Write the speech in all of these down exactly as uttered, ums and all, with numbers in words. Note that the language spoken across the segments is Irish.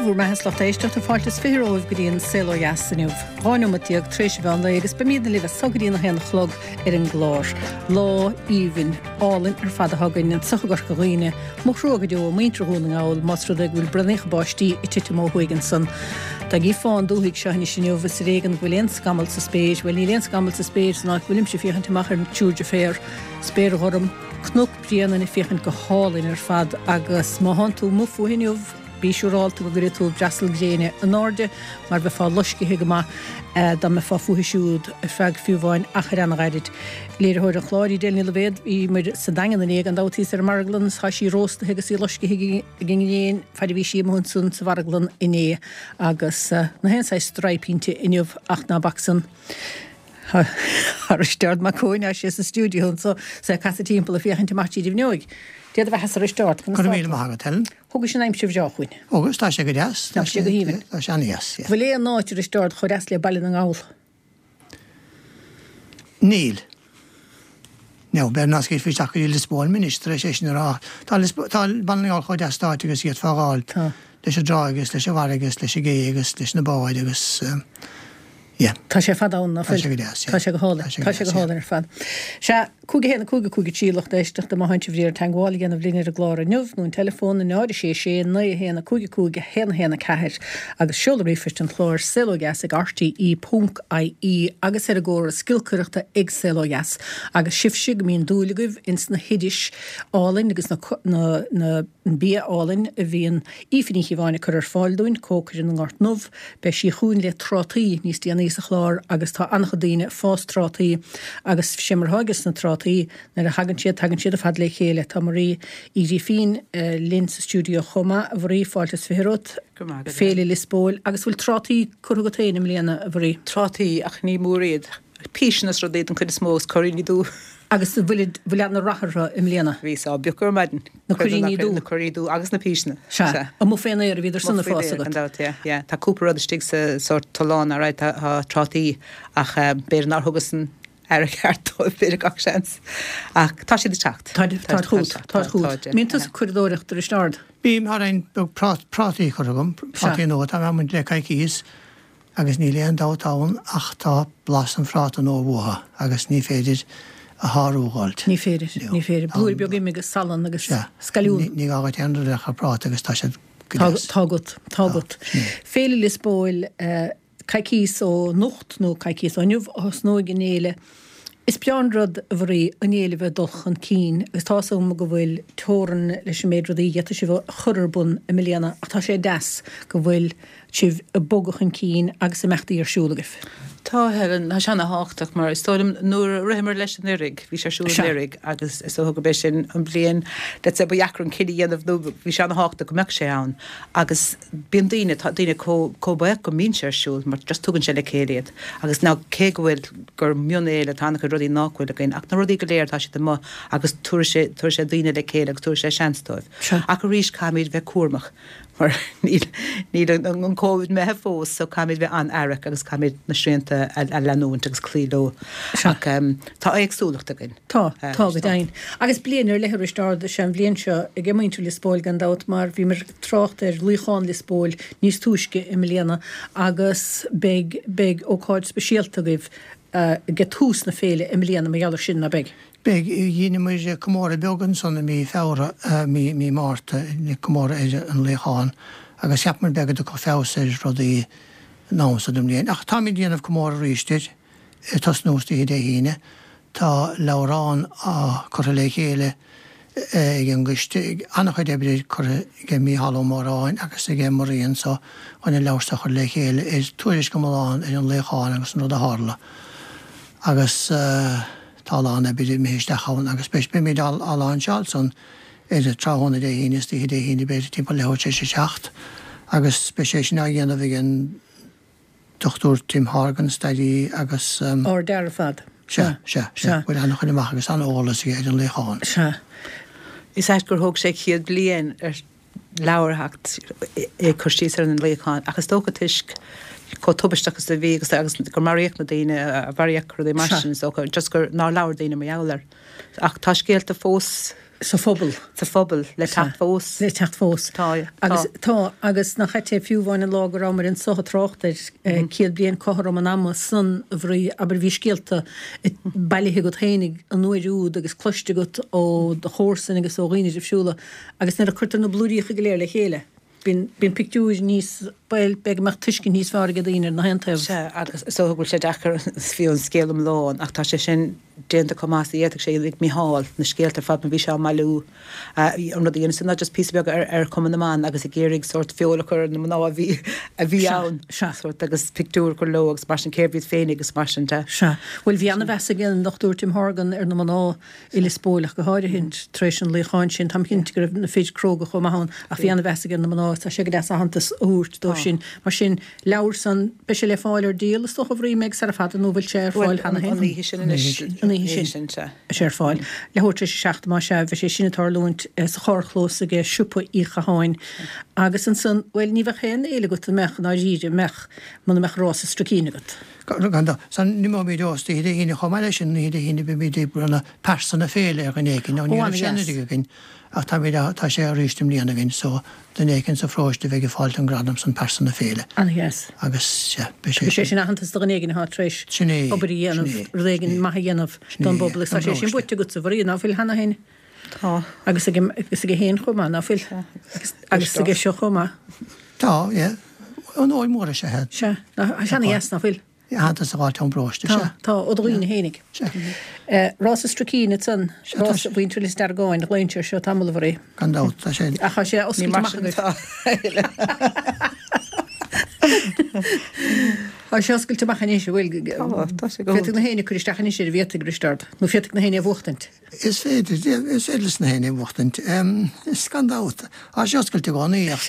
bhur mbeatha, lucht éisteachta, fáilte is fiche romhaibh go dtí an Saol Ó Dheas inniu. Dhá neomat déag tar éis an mheán lae agus beimidne libh as so go dtí a haon a chlog ar an gclár. Lá aoibhinn, álainn ar fad atá againn anseo i gCorca Dhuibhne. Mo thrua go deo muintir Dhún na nGall más rud é go bhfuil braonacha báistí ag titim ó thuaidh ansan. Tá gaoth fán dúthaigh seo anois inniu is ar éigean go bhfuil aon scamall sa spéir, bhuel níl aon scamall sa spéir san áit go bhfuilimse ag féachaint amach ar an triúr deirféar, spéir ghorm, Cnoc Bréanainn ag féachaint go hálainn ar fad agus má thánn tú amuigh fúithi inniu, bí siúrálta go gcuirfidh tú breasal gréine in airde mar bheifeá loiscithe go maith dá mbeifeá fúithi siúd ar feadh fiú amháin achar an-ghairid. Léiritheoir an chláir, Edel Ní Loibhéad, bhíomar sa Daingean inné gan dabht thíos ar an marglann is tá sí róstaithe agus í loiscithe ag an ngréin fad a bhí sí amuigh ansan sa mharglann inné agus na haon saghas straidhp inti inniu ach ná bac san. Tá Risteárd Mac Cóin, tá sé sa stiúideo anso, is é ag casadh timpeall ag féachaint amach tríd an bhfuinneoig. Dia do bheatha-sa, a Risteárd, conas tá tú? Go raibh míle maith agat, Helen. Thugais an aimsir bhreá chugainn. Agus tá sé go deas. Tá sé go haoibhinn. Tá sé an-deas, yeah. Bhfuil aon áit, a Risteárd, chomh deas le Baile na nGall? Níl. Now, b'fhéidir nach scaoilfí isteach go dtí Lios Póil mé anois tar éis é sin a rá. Tá Lios, tá Baile na nGall chomh deas d'áit agus d'fhéadfá a fháil. Tá. Leis an dtráigh agus leis an bhfarraige agus leis an gcé agus leis na báid agus. Yeah. Tá sé fada ann, ná Tá fuil? sé go deas, yeah. Tá sé go hálainn. Tá sé go Tá sé deas, go yeah. hálainn ar fad. Sea, cúig a haon, a cúig, a cúig a trí, lucht éisteachta, má tánn sibh ar iarraidh teagmháil a dhéanamh linn ar an gclár inniu, nó an teileafón, náid a sé sé, naoi a haon, a cúig a cúig, a haon a haon a ceathair, agus seoladh ríomhphoist an chláir, saolódheas ag rte ponc ie, agus ar an gcóras giolcaireachta ag Saol Ó Dheas. Agus sibhse go mbíonn dúil agaibh ins na hoidis álainn agus na, na, na, an bia álainn a bhíonn Aoife Ní Chíobháin ag cur ar fáil dúinn, cócaire na nGort nDubh. Beidh sí chugainn le trátaí níos déanaí sa chlár agus tá an-chuid daoine ag fás trátaí agus sé mar atá ages na trátaí, nuair a thagann siad, tagann siad ar fad le chéile. Tá Marie Uí Ghrífín linn sa stiúideo chomh maith. A Mharie, fáilte is fiche romhat. Go raibh maith agat. Féile Lios Póil. Agus bhfuil trátaí curtha agat féin i mbliana, a Mharie? Trátaí, ach ní mór iad. Píseanna is rudaí den chuid is mó agus cuiríní dubha. Agus an bhfuil bhfuil ana-rath orthu i mbliana? Bhí sá bpiocadh ar maidin. Na cuiríní dubha. Na cuiríní dubha agus na píseanna. Sea. Sea. Amuigh fén aer a bhíodar san Amuigh ag faoin fás aer, agat. gan dabht, yeah, yeah. Tá cúpla rud istigh sa sórt tollán, alright, tá tá trátaí ach b'fhéidir nár thugas an aire ceart dóibh, b'fhéidir gach seans. Ach tá siad ag teacht. Táid táid chugat, táid chugat. Mbíonn tusa ag curadóireacht, a Risteárd? Bím, tá roinnt beag prátaí curtha agam, Sea. prátaí nua, tá mé ag baint le coicíos. Agus níl aon dabht ann ach tá blas an phráta nua uathu agus ní féidir a shárú dh'fháilt. Ní féidir, ní féidir. Blúire beag ime agus salann agus scailliún. Ní gá dhuit aon rud ach an práta agus tá siad go Tá deas. tá agat, tá agat. Féile Lios Póil, coicíos ó anocht nó coicíos ó inniu a thosnóidh an fhéile. Is breá an rud, a Mharie, an fhéile a bheith ag dul chun cinn agus tá 'fhios agam go bhfuil teorainn leis an méid rudaí a d'fhéadfadh sibh a chur ar bun i mbliana ach tá sé deas go bhfuil sibh ag bogadh chun cinn agus imeachtaí ar siúl agaibh. Tá, Helen, tá sé ana-thábhachtach mar is dóigh liom nuair a ritheamar leis anuraidh, bhí sé ar siúl Sea. anuraidh agus is dócha gurb é sin an bhliain, let's say, ba dheacra an cinneadh a dhéanamh nó bhí sé ana-thábhachtach go mbeadh sé ann agus bíonn daoine, tá daoine chomh, chomh buíoch go mbíonn sé ar siúl mar just tugann sé le chéile iad agus now cé go bhfuil, gur mionfhéile, tá an-chuid rudaí nach bhfuil againn ach na rudaí go léir tá siad amuigh agus tabharfaidh sé, tabharfaidh sé daoine le chéile agus tabharfaidh sé seans dóibh. Sea. Ach arís caithfimid bheith cúramach mar níl, níl an, an Covid imithe fós so caithfimid bheith an-aireach agus caithfimid na srianta a, a leanúint agus cloí leo. Sea. Ach um, tá éagsúlacht againn. Tá, Eh, tá go tá. deimhin. Agus bliain ar leith a Risteárd is ea an bhliain seo ag muintir Lios Póil gan dabht mar bhíomar ag trácht ar luíochán Lios Póil níos túisce i mbliana agus beidh, beidh ócáid speisialta agaibh ag tús na féile i mbliana mar gheall air sin, ná beidh? Beidh, dheineamar comóradh beag ansan i mí Feabhra, mí, mí Márta, comóradh ar an luíochán agus cheapamar b'fhéidir go dtiocfadh feabhas ar rudaí an am so den mbliain. Ach táimid ag déanamh comóradh arís air, ag tosnú istoíche Dé hAoine. Tá leabhrán á curtha le chéile ag an gcoiste, an-chuid oibre curtha ag Mícheál Ó Móráin agus ag Marie anso chun an leabhar so a chur le chéile ar tuairisc iomlán ar an luíochán agus an rud a tharla. Agus tá a lán oibre imithe isteach ann agus beidh, beimid á láinseáil san ar tráthnóna Dé hAoine, istoíche Dé hAoine b'fhéidir timpeall leathuair tar éis a seacht agus beidh sé sin á dhéanamh ag an Dochtúir Tim Horgan, staraí agus. Ardfhear ar fad. Sea, sea, sea. Bhfuil an-chur amach agus an-eolas aige ar an luíochán. Sea. Is ait gur thóg sé céad bliain ar leabhar a theacht ag cur síos ar an luíochán ach is dócha toisc chomh tubaisteach is a bhí agus agus gur maraíodh na daoine a maraíodh rudaí mar Sea. sin is dócha just gur nár labhair daoine mar gheall air. Ach tá scéalta fós Sa phobal. Sa phobal, le teacht fós. Le teacht fós. Tá, tá. Agus tá, agus nach ait é fiú amháin an lá go rabhamar anso ag trácht ar céad bliain cothrom an ama san a Mhary, abair bhí scéalta bailithe agat fhéinig an uair úd agus cloiste agat ó do chomharsain agus ó dhaoine difriúla agus nuair a cuirtear na blúiríocha go léir le chéile bíonn, bíonn pictiúir níos, bhuel, b'fhéidir go mbeadh tuiscint níos fearr ag daoine ar na haon taobh. Sea, agus is dócha go bhfuil sé deacair fiú an scéal iomlán ach tá sé sin déanta chomh maith is a d'fhéadfadh sé ag Mícheál, na scéalta ar fad mar bhí sé á mbailiú. An rud a dhéanas ná just píosa beag ar ar Chumann na mBan agus ag iarraidh sórt feoil a chur ar na mná a bhí a bhí ann. Sea. Sórt agus pictiúr a chur leo agus mar sin cérbh iad féinig agus mar sin de. Sea. Bhuel bhí ana-mheas ag an Dochtúir Tim Horgan ar na mná i Lios Póil ach go háirithe tar éis an luíocháin sin. Táim cinnte go raibh na fir cróga chomh maith ann ach bhí ana-mheas aige ar na mná agus tá sé go deas aitheantas a thabhairt dóibh sin. Mar sin, leabhar san, beidh sé le fáil ar díol is dócha a Mhary, mé ag sara fada nó bhfuil sé ar fáil cheana féin? An oíche sin anois. An oíche sin. Sea. Beidh sé ar fáil. Leathuair tar éis a seacht, más ea, beidh sé sin ag tarlúint sa charrchlós aige Siopa Uí Chatháin. Agus ansan, bhuel, ní bheadh aon fhéile agat, an mbeadh, i ndáiríre, an mbeadh, muna mbeadh rás an Stricín agat. Gan dabht. San, n-imeoimid oíche Dé hAoine chomh maith leis sin, oíche Dé hAoine beimid ag bronnadh pearsa na féile ar dhuine éicint. Nó ní raibh sé anuraidh againn ach táimid á, tá sé arís i mbliana againn so duine éicint sa pharóiste a bheidh ag fáilt an gradam san pearsa na féile. Ana-dheas. Agus sea, beidh sé Beidh sé sin. sin aitheantas do dhuine éigin atá tar éis Sin é, obair a sin dhéanamh, é, rud éigin sin é. maith a dhéanamh Sin don é, bpobal agus don tá sé sin bparóiste. buaite agatsa, a Mhary, ná fuil cheana féin? Tá. Agus aige, agus aige féin chomh maith, ná fuil? Agus, agus aige seo chomh maith. Tá, yeah. Onóir mór is ea é. Sea, ná, tá sé ana-dheas, ná fuil? Aitheantas a fháilt ón bparóiste, Tá, sea. tá, ó do dhaoine fhéinig. Sea. Rás an Stricín ansan, Sea, tá rás sé. mhuintir Lios Deargáin, glaonn sé seo tamall a Mhary. Gan dabht, tá sé. Ach tá sé Ní oscailte mar amach sin agaibh. atá. Tá sé oscailte amach anois, an bhfuil? Tá, tá sé go Féadfaidh na héinne cur isteach anois air, an bhféadfaidh, Risteard, nó féadfaidh na héinne a bhuachtaint. Is féidir, is féidir leis na héinne a bhuachtaint. Is gan dabht. Tá sé oscailte i gcónaí ach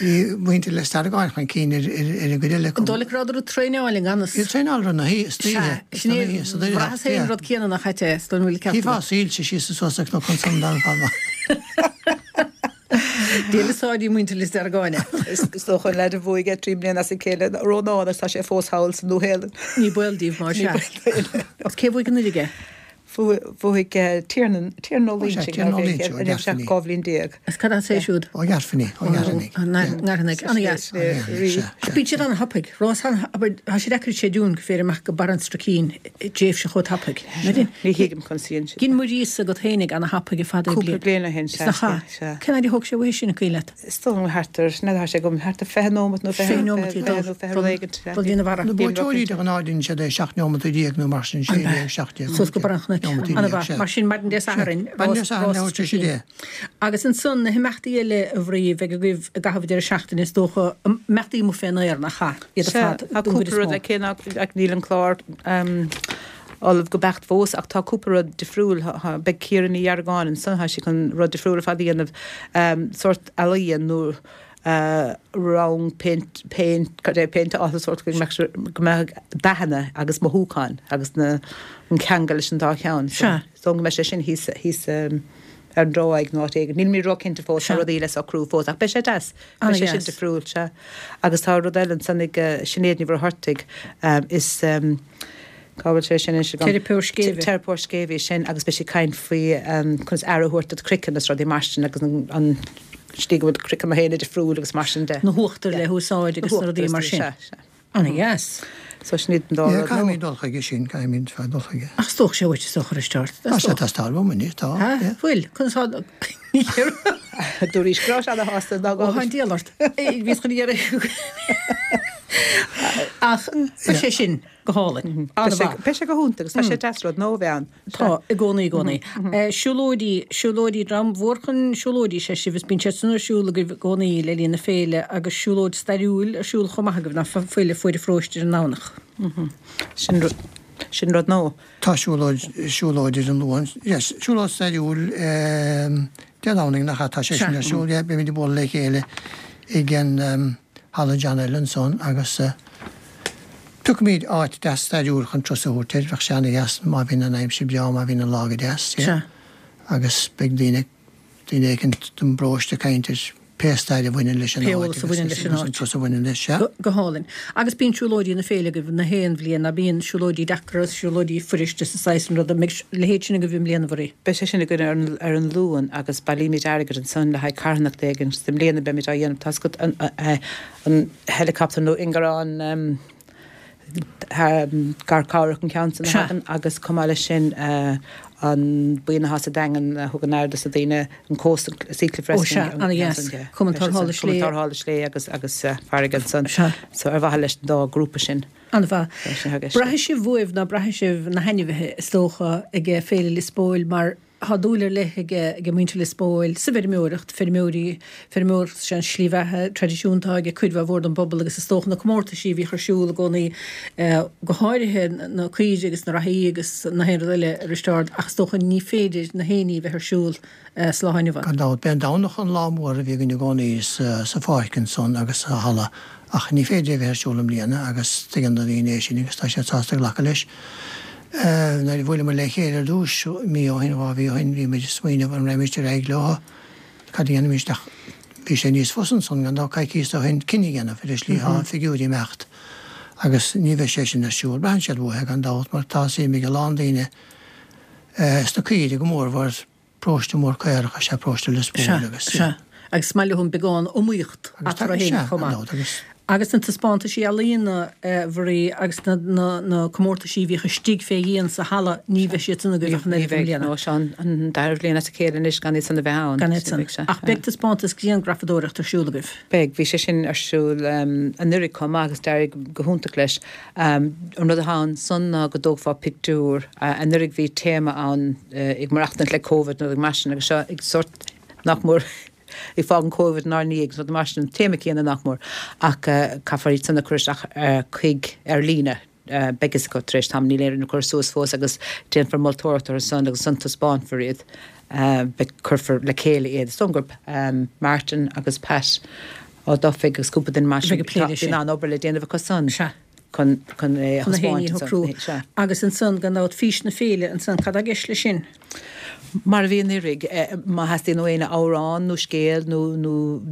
bhí muintir Lios Deargáin chun cinn ar ar an gcuid eile acu. An dóigh leat go rabhadar ag traenáil i ngan fhios? Bhí traenáil ar na hoíche, istoíche, Sea, sin é, istoíche, sa deireadh, bhraitheas féin an rud céanna nach ait é, is dóigh an bhfuil ceart Chífeá agat. soilse síos is suas ar Chnoc an tSundain fad. Dia le sáidí muintir Lios Deargáin. Is dócha an leaid a bhuaigh é trí bliana as a chéile, Rónán, agus tá sé fós thall sa Nua-Shéalainn. Ní baol díobh mar Ní sea. baol dóibh. Agus cé bhuaigh anuraidh é? Bhuaigh Tiernan, Tiernan Ó Ó sea, Loinsigh, Tiernan Ó ná bhí Loinsigh, ó an raibh sé Ghairfeanaigh. dhá bhliain déag. Is cad as é siúd? Ó Ghairfeanaigh, ó Ghairfeanaigh. Ó nGairfeanaigh, ana-dheas. Sea, Ach bíonn siad an-thapaidh. Rás an, abair, tá sé deacair a chreidiúint go féidir amach go Barr an Stricín i dtréimhse chomh tapaidh. Ní thuigim conas a dhein siad. Dhein Muiríosa agat fhéinig ana-thapaidh i fad Cúpla bliain ó shin, sea, Nach ea? sea. Cén fhaid a thóg sé uaidh sin, an cuimhin leat? Is dóigh liom thart ar, n'fheadar, tá sé agam, thart ar fiche nóimeat nó fiche, Fiche nóimeat, fiche nó fiche rud éigin, sea. Dul dtí na bharra. Na buaiteoirí de ghnáth deineann siad é seacht neomat déag nó mar sin, sé déag, seacht déag. Suas go Barr an Chnoic. Neomat déag, Ana-mhaith. sea. Mar sin, maidin Dé Sathairn, Maidin Dé rás, Sathairn, rás leathuair tar éis a deich. Agus ansan, na himeachtaí eile a Mhary a bheidh agaibh i gcaitheamh deireadh seachtaine, is dócha, imeachtaí amuigh fén aer, nach ea? Iad ar Sea, fad, tá don gcuid cúpla is rud mó. le cé nach, ach níl an clár ullamh go beacht fós, ach tá cúpla rud difriúil. Beidh Ciara Ní Dheargáin ansan, tá sí chun rud difriúil ar fad a dhéanamh, sórt ealaíon nó rang péint, péint, cad é, péinteála sórt go mbeadh sé, go mbeadh dathanna agus mothúcháin agus na, an ceangal leis an dá cheann. So, Sea. so go mbeidh sé sin thíos, thíos ar an dtráigh nó áit éigin. Níl mé róchinnte fós, tá Sea. rudaí le socrú fós, ach beidh sé deas. Beidh sé sin Ana-dheas. difriúil, sea. Agus tá rud eile ansan ag Sinéad Ní Mhuircheartaigh, is cá bhfuil sé sin anois agam? Teiripeoir scéimhe. Teiripeoir scéimhe sin agus beidh sí ag caint faoi conas aire a thabhairt do chraiceann agus rudaí mar sin agus an, an slí go bhfuil craiceann na héinne difriúil agus mar sin de. Na huachtair le húsáid agus na rudaí mar sin. Sea, sea. Ana-dheas. So sin iad an dá Yeah, rud caithfimid nua. dul chuige sin, caithfimid fad dul chuige. Ach is dócha sé uait is dócha Risteárd. Tá sé teastáil uaim anois, tá. Ha? yeah. Bhfuil, conas tá Dúraís go raibh sé ana-shásta ná Ó, tá an diabhal ort. Bhíos chun iarraidh. Ach beidh sé sin go hálainn. An-mhaith. Beidh sé go hiontach agus tá sé deas rud nua a bheith ann. Tá, i gcónaí, i gcónaí. Siúlóidí, siúlóidí, dream mhór chun siúlóidí is ea sibh, is bíonn siad san ar siúl agaibh i gcónaí le linn na féile agus siúlóid stairiúil ar siúl chomh maith agaibh, ná fuil, le fuair an pharóiste ar an nDomhnach. Sin rud, sin rud nua. Tá siúlóid, siúlóid ar an Luan, yes, siúlóid stairiúil Dé Domhnaigh nach ea, tá sé sin ar siúl, yeah, beimid ag bualadh le chéile ag an Halla John Allen ansan agus piocfaimid áit deas stairiúil chun turas a thabhairt air, bheadh sé ana-dheas má bhíonn an aimsir breá, má bhíonn an lá go deas, yeah. Sea. Agus beidh daoine, daoine éicint don bparóiste ag caint ar pé stair a bhaineann leis an Pé áit eolas a bhaineann leis an agus áit. an turas a bhaineann leis, sea. Go, go hálainn. Agus bíonn siúlóidí na féile agaibh na haon bhliain, ná bíonn siúlóidí deacra, siúlóidí fuiriste sa saghas an rud, an mbeidh leithéid sin agaibh i mbliana, Mharie? Beidh sé sin againn ar an, ar an Luan agus bailímid airgead ansan le haghaidh carthanacht éigin. I mbliana beimid á dhéanamh, tá a fhios agat an, an, an helicopter nó ingearán um, garchabhrach an ceann san a Sea. thagann agus chomh maith leis sin uh, an buíon atá sa Daingean a thugann aire dos na daoine an Coast Sea Cliff Ó, Rescue. sea, ana-dheas. Cumann Tarrthála Slé. Cumann Tarrthála Slé agus agus uh, farraige ansan. Sea. So ar mhaithe leis an dá grúpa sin. An-mhaith. Tá sé thar Braithfidh sibh uaibh ná braithfidh sibh na hainmhithe is dócha ag Féile Lios Póil mar tá dúil ar leith ag ag muintir Lios Póil sa bhfeirmeoireacht, feirmeoirí, feirmeoireacht sin slí bheatha traidisiúnta ag cuid mhór den bpobal agus is dócha na comórtaisí a bhíodh ar siúl i gcónaí eh, go háirithe na caoirigh agus na reathaí agus na haon rud eile a Risteárd ach is dócha ní féidir na héiní bheith ar siúl eh, sa lá inniu. Gan dabht, b'é an Domhnach an lá mór a bhí againn i gcónaí sa, sa pháirc ansan agus sa halla ach ní féidir é bheith ar siúl i mbliana agus tuigeann na daoine é sin agus tá siad sásta glacadh leis. Uh, nuair a bhuaileamar le chéile ar dtús mí ó shin dhá mhí ó shin bhí muid ag smaoineamh an raghaimid ar aghaidh leo cad a dhéanfaimis ach bhí sé níos fusa ansan gan dabht coicís ó shin cinneadh a dhéanamh ar an slí tá figiúirí ag imeacht agus ní bheidh sé sin ar siúl. Braitheann siad uathu gan dabht mar tá suim ag a lán daoine uh, sna caoirigh go mór mar paróiste mór caorach is ea paróiste Lios Póil agus Sea. Agus is maith leo beagán iomaíocht Agus tá- eatarthu féin sea, chomh gan maith. dabht, agus Agus na taispeántaisí ealaíona eh, Mharie agus na, na, na comórtaisí a bhíodh istigh fé dhíon sa halla ní bheidh siad san agaibh ach an Ní oiread i bheidh mbliana. nó seo an dara bhliain as a chéile anois gan iad san a bheith ann. Gan iad san. Beidh sé, Ach beidh taispeántas grianghrafadóireacht ar siúl agaibh. Beidh, bhí sé sin ar siúl um, anuraidh chomh maith agus d'éirigh go hiontach leis. Um, an rud atá ansan ná go dtógfá pictiúr uh, anuraidh bhí téama ann uh, ag maireachtaint le Covid nó ag mar sin agus seo ag sort nach mór ag fágaint Covid inár ndiaidh so mar sin an téama céanna nach mór ach uh, caithfear iad san a chur isteach uh, chuig ar líne. Uh, beidh go tar éis tam ní léir na cur suas fós agus déanfar moltóireacht ar san agus san taispeánfar iad. Uh, beidh cuirfear le chéile iad. Is dóigh gurb um, Martin agus Pat Ó Dufaigh agus cúpla duine mar Bheidh ag plé leis sin. Bíonn an obair le déanamh acu san. Sea. Chun chun é Chun na héiní thaispeáint shocrú. ansan. Sea. Agus ansan gan dabht fís na féile ansan cad atá i gceist leis sin. Mar a bhí anuraidh má theastaíonn ó éinne amhrán nó scéal nó nó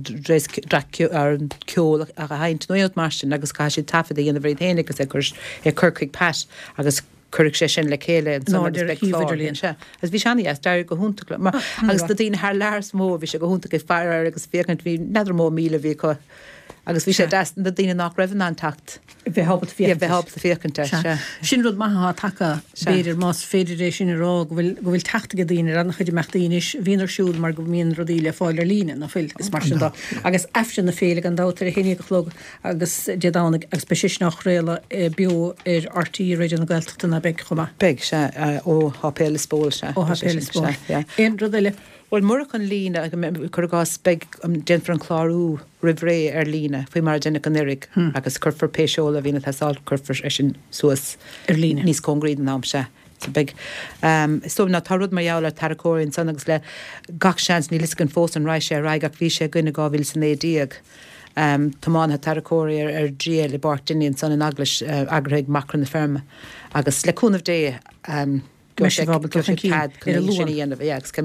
ar ceol a sheinnt nó aon mar sin agus caithfidh siad taifead a dhéanamh iad féin agus é cur é cur chuig Pat agus cuirfidh sé sin le chéile In airde ar shuíomh idirlíon. Se. Agus bhí sé an-deas d'éirigh go hiontach le mar agus na daoine thar lear is mó bhí sé go hiontach ag faire agus féachaint bhí n'fheadar mó míle bhí acu agus bhí sé deas na daoine nach raibh in ann teacht. Bheith ábalta Bheith féachaint. ábalta féachaint air, sea. Sin rud maith atá tagtha Sea. b'fhéidir más féidir é sin a rá go bhfuil go bhfuil teacht ag daoine ar an-chuid imeachtaí anois a bhíonn ar siúl mar go mbíonn rudaí le fáil ar líne nach bhfuil is mar sin dó. Agus Aifreann na féile gan dabht ar a haon déag a chlog agus Dé Domhnaigh agus beidh sé sin á chraoladh eh, beo ar RTÉ Raidió na Gaeltachta ná beidh chomh maith. Beidh sé ó Shéipéal Lios Póil sé. Ó Shéipéal Lios Póil. Sea, yeah. Aon rud eile? Well murach an líne cur i gcás beidh déanfar an clárú roimh ré ar líne faoi mar a deineadh anuraidh agus cuirfear pé seoladh a bhíonn ag teastáil cuirfear é sin suas Ar líne. níos cóngaraí don am se. So beidh um, so ná tá rud mar gheall ar tarracóirí ansan agus le gach seans níl a fhios againn fós an raghaidh sé ar aghaidh ach bhí sé againn i dhá mhíle is a naoi déag. Um, tiománaithe tarracóirí ar, ar triail i bPáirc Dinny ansan in eaglais uh, eagraithe ag Macra na Feirme. Agus le cúnamh Dé um, Beidh sibh ábalta chun cinn ar an sin Luan. a dhéanamh, yeah, agus go-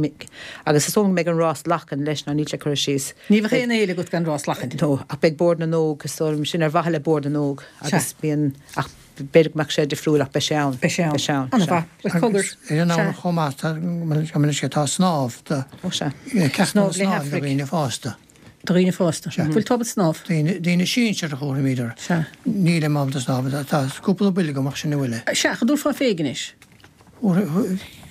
agus is dóigh go mbeidh an rás lachan leis ná níl sé curtha síos. Ní bheadh aon fhéile agat gan rás lachan. No, ach beidh Bord na nÓg is dóigh liom sin ar mhaithe le Bord na nÓg agus bíonn ach b'fhéidir go mbeadh sé difriúil ach beidh sé ann. Beidh sé ann. Beidh sé ann. An-mhaith. Bhuel, cogar. Agus ar an am chomh maith tá sé tá snámh do Ó sea. ceachtanna Snámh le snámh do hAifric. dhaoine fásta. Do dhaoine fásta. Bhfuil tú ábalta snámh? Daoine daoine sinsir a chóramíidir. Sea. Nílim ábalta snámh tá cúpla buille agam ach sin a bhfuil. Sea, an dtabharfá féig anois.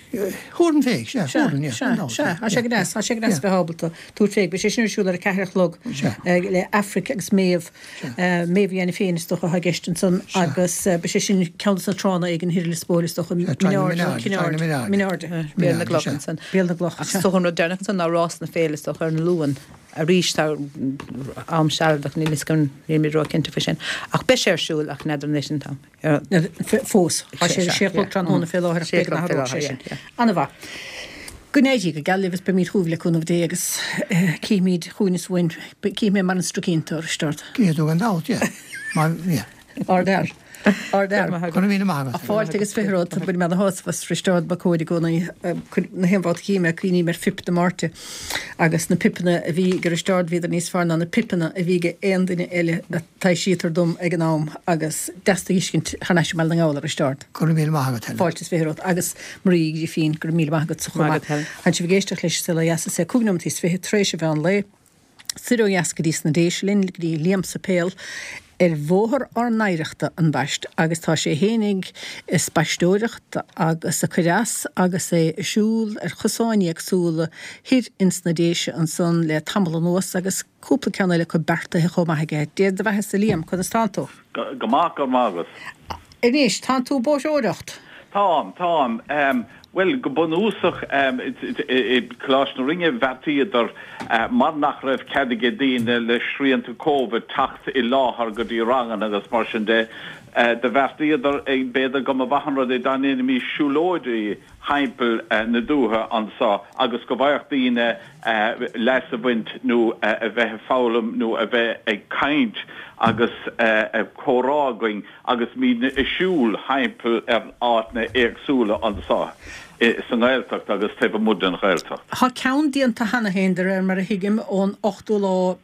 Thabharfainn féig, sea, Sea, thabharfainn, yeah, sea, gan dabht, sea, yeah, Tá sé go deas, tá sé go deas Yeah. bheith ábalta tabhairt féig, beidh sé sin ar siúl ar a ceathair a chlog Sea. eh, le Aifric agus Méabh eh, Méabh dhéanamh féin is dócha atá i gceist ansan agus eh, beidh sé sin ceann de na tránna ag an Thir Lios Póil is dócha Trá na Minárd, Trá na Minárd. Minárd. Béal na Minárd, gCloch sea. ansan. Béal na gCloch, Ach sea. so an rud deireanach ansan ná rás na féile is dócha ar an Luan. Arís tá am sealadach níl a fhios againn níl mé ró-chinnte faoi sin. Ach beidh sé ar siúl ach n'fheadar anois an t-am. Ar- Fós, Tá sé Sé, sé chlog tráthnóna fé láthair Sé b'fhéidir chlog nach fé raibh sé láthair, sin. yeah, An-mhaith. Go n-éirí go geal libh is beimid chugaibh le cúnamh Dé agus eh, címid chugainn is uainn, címid mar an strucínta ar start. Cé tú gan dabht, yeah. Mar, yeah. Ardfhear. Ardfhear. Go raibh míle maith agat. Fáilte agus fiche romhat, bainim ana-shásamh as Risteárd Mac Cóid i gcónaí. Na haon bhabhta a chím é cuimhním ar phip na Máirte agus na pipeanna a bhí ag Risteárd bhíodar níos fearr ná na pipeanna a bhí ag aon duine eile a taibhsítear dom ag an am agus deas tú a fheiscint thar n-ais i mBaile na nGall a Risteárd. Go raibh míle maith agat Helen. Fáilte is fiche romhat agus Marie Grifín, go raibh míle maith agatsa chomh maith. Tá sibh ag éisteacht leis an Saol Ó Dheas is é cúig nóiméad is fiche tar éis an mheán lae. Soir ó dheas go dtí sna Déise linn, go dtí Liam Suipéil ar Bhóthar ár nOidhreachta an baist agus tá sé fhéinig ag spaisteoireacht agus ag cur as agus é ag siúl ar chosáin éagsúla thoir ins na Déise ansan le tamall anuas agus cúpla ceann eile acu beartaithe chomh maith aige. Dia do bheathasa Liam, conas tánn tú? Go maith, go raibh maith agat. Anois, tánn tú ag bóithreoireacht? Táim, táim. Bhuel, go bunúsach, i Coláiste na Rinne bheartaíodar, mar nach raibh cead aige daoine le srianta Covid teacht i láthair go dtí ranganna agus mar sin de, do bheartaíodar b'fhéidir go mba mhaith an rud é dá ndéanfaimís siúlóidí thimpeall na dúiche anso agus go bhfaigheadh daoine leas a bhaint nó a bheith ag foghlaim nó a bheith ag caint agus comhrá againn agus muidne ag siúl thimpeall ar áiteanna éagsúla anso sa nGaeltacht agus taobh amuigh den Ghaeltacht. Tá ceann déanta cheana féin, de réir mar a thuigim, ón ochtú lá,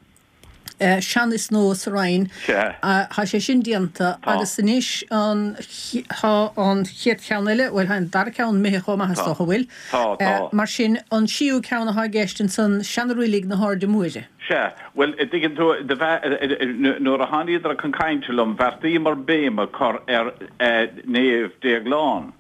Sean is Nua sa Rinn. Sea. Tá sé sin déanta Tá. agus anois an, tá an chéad cheann eile, bhuel tá an dara ceann imithe chomh maith is Tá. dócha, an bhfuil? Tá, tá. Mar sin, an séú ceann atá i gceist ansan, Seana-Reilig na hAirde Móire. Sea, bhuel, a dtuigeann tú, do bhe, nuair a tháiníodar chun cainte liom, bheartaíomar béim a chur ar Naomh Déaglán.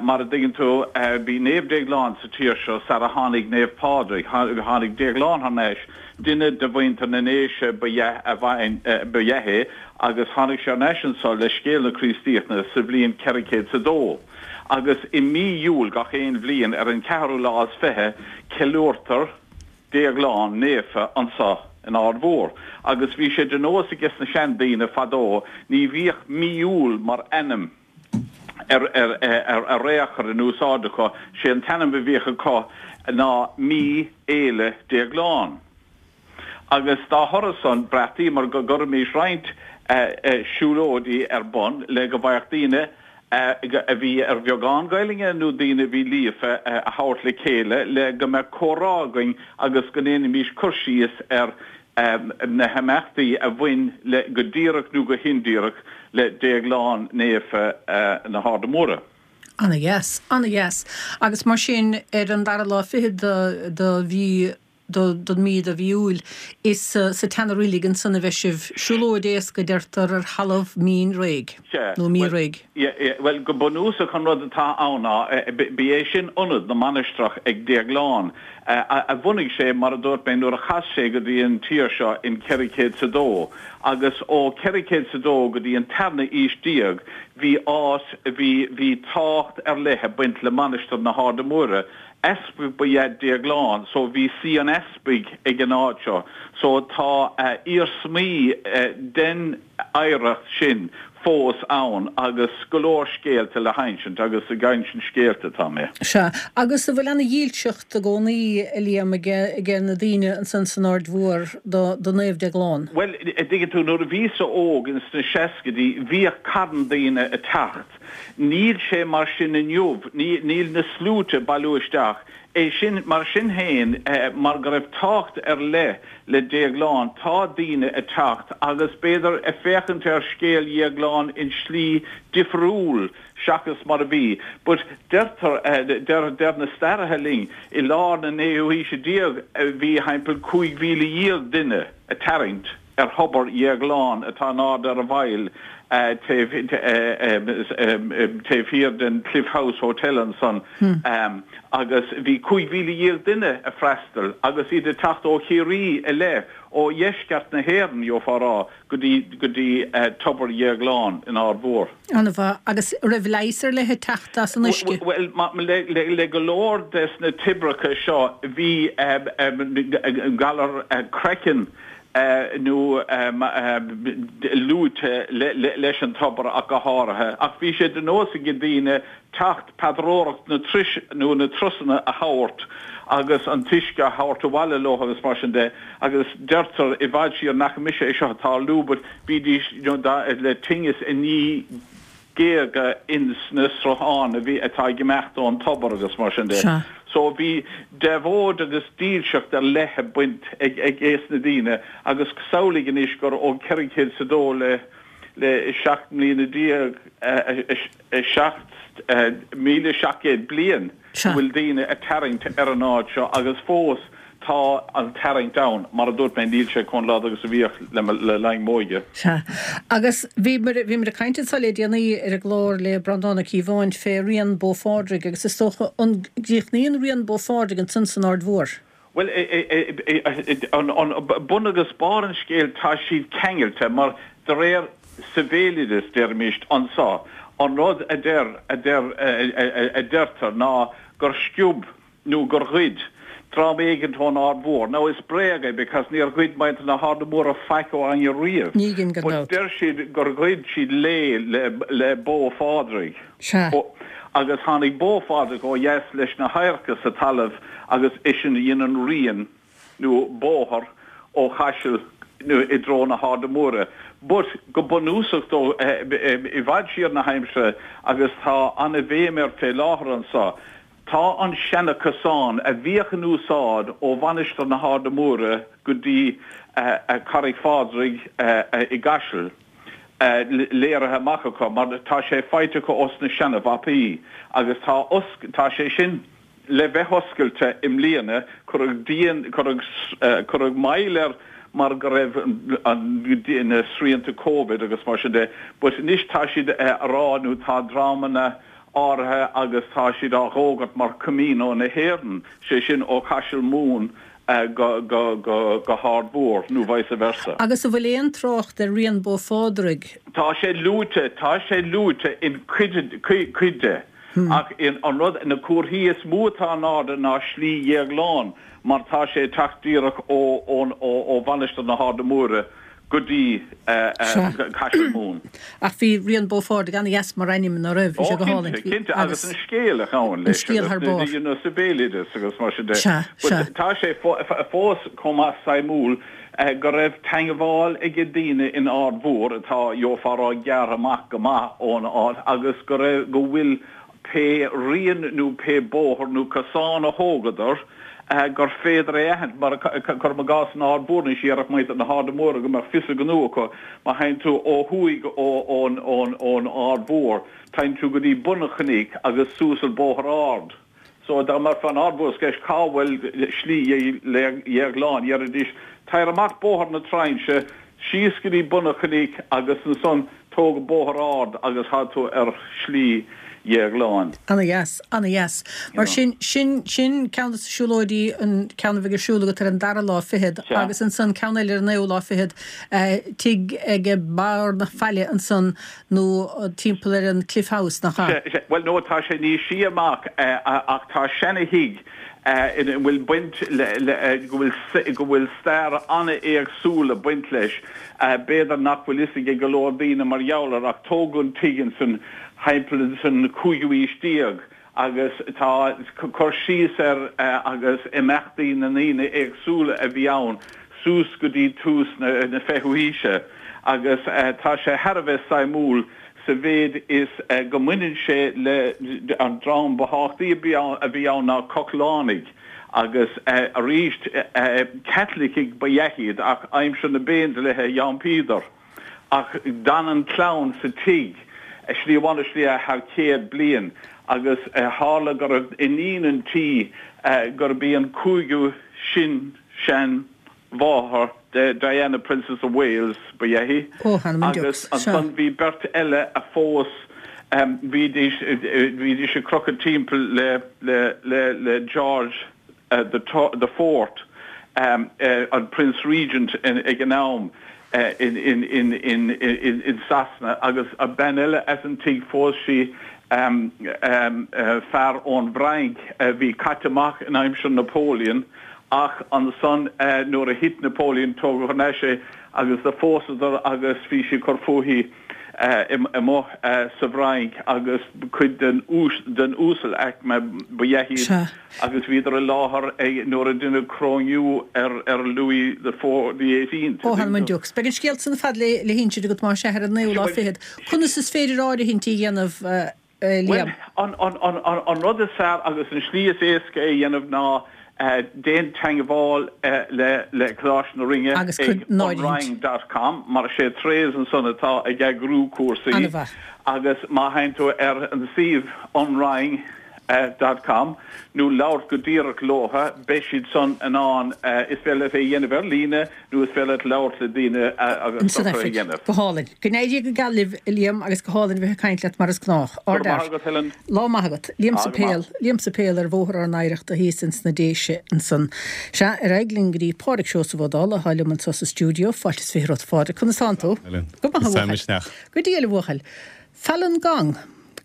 Mar a dtuigeann tú, bhí Naomh Déaglán sa tír seo sara tháinig Naomh Pádraig. Tháinig Déaglán thar n-ais, duine de mhuintir na nDéise ba ea ba ea é, agus tháinig sé thar n-ais anso le scéal na Críostaíochta sa bhliain ceithre chéad 's a dó. Agus i mí Iúil gach aon bhliain, ar an ceathrú lá is fiche, ceiliúrtar, Déaglán naofa anso in Aird Mhór agus bhí sé de nós aige sna seandaoine fadó ní bhíodh mí Iúil mar ainm ar ar ar ar aon chor in úsáid acu, sé an t-ainm a bhíodh acu ná Mí Fhéile Déaglán. Agus dá thoradh san bheartaíomar go gcuirfimís roinnt siúlóidí ar bun le go bhfaigheadh daoine a bhí ar bheagán Gaelainne nó daoine a bhí líofa a thabhairt le chéile le go mbeadh comhrá againn agus go ndéanfaimís cur síos ar na himeachtaí a bhain le, go díreach nó go hindíreach, le Déaglán Naofa na hArda Móire. Ana-dheas, ana-dheas. Agus mar sin, ar an dara lá fichead de, de mhí don mí de mhí Iúil. Is sa tseana-reilig ansan a bheidh sibh. Siúlóid éasca, deirtear, ar thalamh mín réidh, Sea. nó mín réidh. Bhuel, go bunúsach an rud atá ann ná, ba é sin ionad na mainistreach ag Déaglán, a bhunaigh sé, mar a dúirt mé, nuair a chas sé go dtí an tír seo in ceithre chéad 's a dó. Agus ó ceithre chéad 's a dó go dtí an tarna aois déag, bhí áit, bhí, bhí tábhacht ar leith ag baint le Mainistir na hArda Móire, Easpag ba ea Déaglán so bhí suí an easpaig ag an áit seo so tá iarsmaí den oidhreacht sin fós ann agus go leor scéalta le hinsint agus ag insint scéalta atá mé. Sea, agus an bhfuil ana-dhílseacht i gcónaí, a Liam, aige na daoine ansan san Aird Mhór do Naomh Déaglán? Bhuel, a dtuigeann tú, nuair a bhíos-sa óg ins na seascaidí bhíodh carn daoine ag teacht. Níl sé mar sin inniu, níl na sluaite ag bailiú isteach. É sin, mar sin féin, mar go raibh tábhacht ar leith le Déaglán, tá daoine ag teacht agus b'fhéidir ag féachaint ar scéal Dhéagláin in slí difriúil seachas mar a bhí. But deirtear, deir, deir na staraithe linn, i lár na naoú haoise déag bhí thimpeall cúig mhíle dhéag duine ag tarraingt. ar thobar Dhéagláin atá in airde ar an bhfaill taobh taobh thiar den Cliff House Hotel ansan agus bhí cúig mhíle dhéag duine ag freastal agus iad ag teacht ó Chiarraí i leith, ó dheisceart na hÉireann, gheofá a rá, go dtí go dtí tobar Dhéagláin in Aird Mhór. An-mhaith. Agus raibh leigheas ar leith ag teacht as an uisce? Bhuel, le le go leor des na toibreacha seo bhí galar craicinn, nó luaite leis an tobar ach go háirithe. Ach bhí sé de nós ag daoine teacht paidreoireacht na turais nó na turasanna a thabhairt agus an t-uisce a thabhairt abhaile leo agus mar sin de agus deirtear i bhfad siar nach mise é seo atá lú but bhídís le tinneas i ndiaidh géaga ins na srutháin a bhí atá ag imeacht ón tobar agus mar sin de. So bhí devoid agus dílseacht ar leith ag baint ag ag aos na daoine agus samhlaigh anois gur ó ceithre chéad is a dó le le seacht mbliana déag seacht míle seacht gcéad bliain go bhfuil daoine ag tarraingt ar an áit seo agus fós tá an tarraingt ann, mar a dúirt mé níl sé chomh láidir agus a bhíodh le linn m'óige. Sea. Agus bhíomar bhíomar ag caint anso le déanaí ar an gclár le Breandán Ó Cíobháin fé Rian Bó Phádraig agus is dócha an gcríochnaíonn Rian Bó Phádraig ansan san Aird Mhór? Bhuel, an bun agus barr an scéil tá siad ceangailte mar de réir sa bhéaloideas deirimis anso an rud a deir a deir a deirtear ná gur sciob nó gur ghoid dream éigint ón Aird Mhór. Now is bréag é because níor ghoid muintir na hArda Móire faic ó éinne riamh. Ní gin gan But dabht. deir siad gur ghoid siad lao le le bó Phádraig. Sea. Agus tháinig bó Phádraig ó dheas leis na hadharca sa talamh agus eisean a dhein an rian nó bóthar ó Chaiseal nó i dtreo na hArda Móire. But go bunúsach dó i bhfad siar na haimsire agus tá ana-bhéim air fé láthair anso, Tá an seana-chosán a bhíodh in úsáid ó Mhainistir na hArda Móire go dtí Carraig Phádraig i gCaiseal léirithe amach acu mar tá sé faighte acu os na seana-mhapaí agus tá tá sé sin le bheith oscailte i mbliana. Cuireadh díon cuireadh cuireadh moill air mar go raibh an na srianta Covid agus mar sin de but anois tá siad a rá nó tá dreamanna áirithe agus tá siad á dh'fhógairt mar Camino na hÉireann, sé sin ó Chaiseal Mumhan go go go go hArd Mhór nó vice versa. Agus an bhfuil aon trácht ar Rian Bó Phádraig? Tá sé luaite, tá sé luaite in cuid cuid de ach in an rud na comharthaí is mó atá in airde ná Slí Dhéagláin mar tá sé ag teacht díreach ó ón ó ó Mhainistir na hArda Móire go dtí Caiseal Mumhan. Ach bhí Rian Bó Phádraig an-dheas mar ainm ná raibh? Bhí sé go hálainn. Ó cinnte, cinnte, agus an scéal a ghabhann leis agus you know sa bhéaloideas agus mar sin de. Sea, sea. But tá sé fós chomh maith suimiúil go raibh teangmháil ag daoine in Ard Mhór atá gheofá a rá gearrtha amach go maith ón áit agus go raibh go bhfuil pé rian nó pé bóthar nó cosán a thógadar gur féidir é a aithint, mar cuirim i gcás in Ard Mhór anois iarrfaidh muintir na hArda Móire go mbeadh fios a ngnó acu má théann tú ó thuaidh ón ón Ard Mhór, téann tú go dtí bun an chnoic agus suas an bóthar ard. So dá mbeifeá in Ard Mhór is ceist cá bhfuil Slí Dhéagláin, déarfaidís tar amach Bóthar na Trinse, síos go dtí bun an chnoic agus ansan tóg bóthar ard agus tá tú ar Shlí Dhéagláin. Ana dheas, ana dheas. Mar sin, sin, sin ceann de na siúlóidí, an ceann a bheidh ar siúl agat ar an dara lá fichead agus ansan ceann eile ar an naoú lá fichead, tigh ag barr na faille ansan nó timpeall ar an Cliff House, nach ea? Sea, sea. Bhuel, no, tá sé níos sia amach ach tá seana-thigh ina bhfuil baint le, le, go bhfuil, go bhfuil stair an-éagsúil ag baint leis. B'fhéidir nach bhfuil fhios ag go leor daoine mar gheall air ach tógadh an tigh ansan thimpeall an cúigiú haois déag agus tá cur síos air agus imeachtaí na ndaoine éagsúla a bhí ann suas go dtí tús na fichiú haoise agus tá sé thar a bheith suimiúil sa mhéid is go mbaineann sé le an dream ba thábhachtaí a bhí ann ná Cochlánaigh agus arís Caitlicigh ba ea iad ach aimsir na bPéindlíthe d'iompaíodar. Ach d'fhan an chlann sa tigh, slí amháin nó slí eile, thar chéad bliain agus tharla go raibh iníon an tí gurb í an cúigiú sin-seanmháthair de Diana Princess of Wales ba ea í agus ansan bhí beirt eile a phós, bhídís bhídís ag crochadh timpeall le le le le George the the Fourth, an Prince Regent ag an am. in Sasana agus bean eile as an tigh phós sí fear ón bhFrainc a bhí caite amach in aimsir Napoleon ach ansan nuair a thit Napoleon tógadh thar n-ais é agus do phósadar agus bhí sí ag cur fúithi amuigh sa bhFrainc agus cuid den den uasalaicme ba ea iad agus bhíodar i láthair ag nuair a deineadh coróiniú ar ar Louis the Four the Eighteenth. Ó th'anam 'on deoch. Beidh an scéal san ar fad le le hinsint agat más ea ar an naoú lá fichead. Conas is féidir áirithintí a dhéanamh Liam? Bhuel, an an an an rud is fearr agus an slí is éasca é a dhéanamh ná Déan teagmháil le Coláiste na Rinne ag anrinn dot com mar is é Therese ansan atá ag eagrú cúrsaí agus má théann tú ar an suíomh anrinn dot com nó labhairt go díreach leo beidh siad san in ann, is féidir leat é a dhéanamh ar líne nó is féidir leat labhairt le daoine agus socruithe a dhéanamh. Go hálainn. Go n-éirí go geal libh, a Liam, agus go hálainn bheith ag caint leat mar is gnách. Go raibh maith agat, Helen. Lá maith agat. Liam Suipéil, Liam Suipéil ar Bhóthar ár nOidhreachta thíos ins na Déise ansan. Sea, ar aghaidh linn go dtí Pádraig Seosamh Ó Dálaigh atá liom anso sa stiúideo. Fáilte is fiche romhat, a Phádraig. Conas tánn tú? Helen. Go maith, a bhuachaill. Go diail, a bhuachaill. Falun Gong.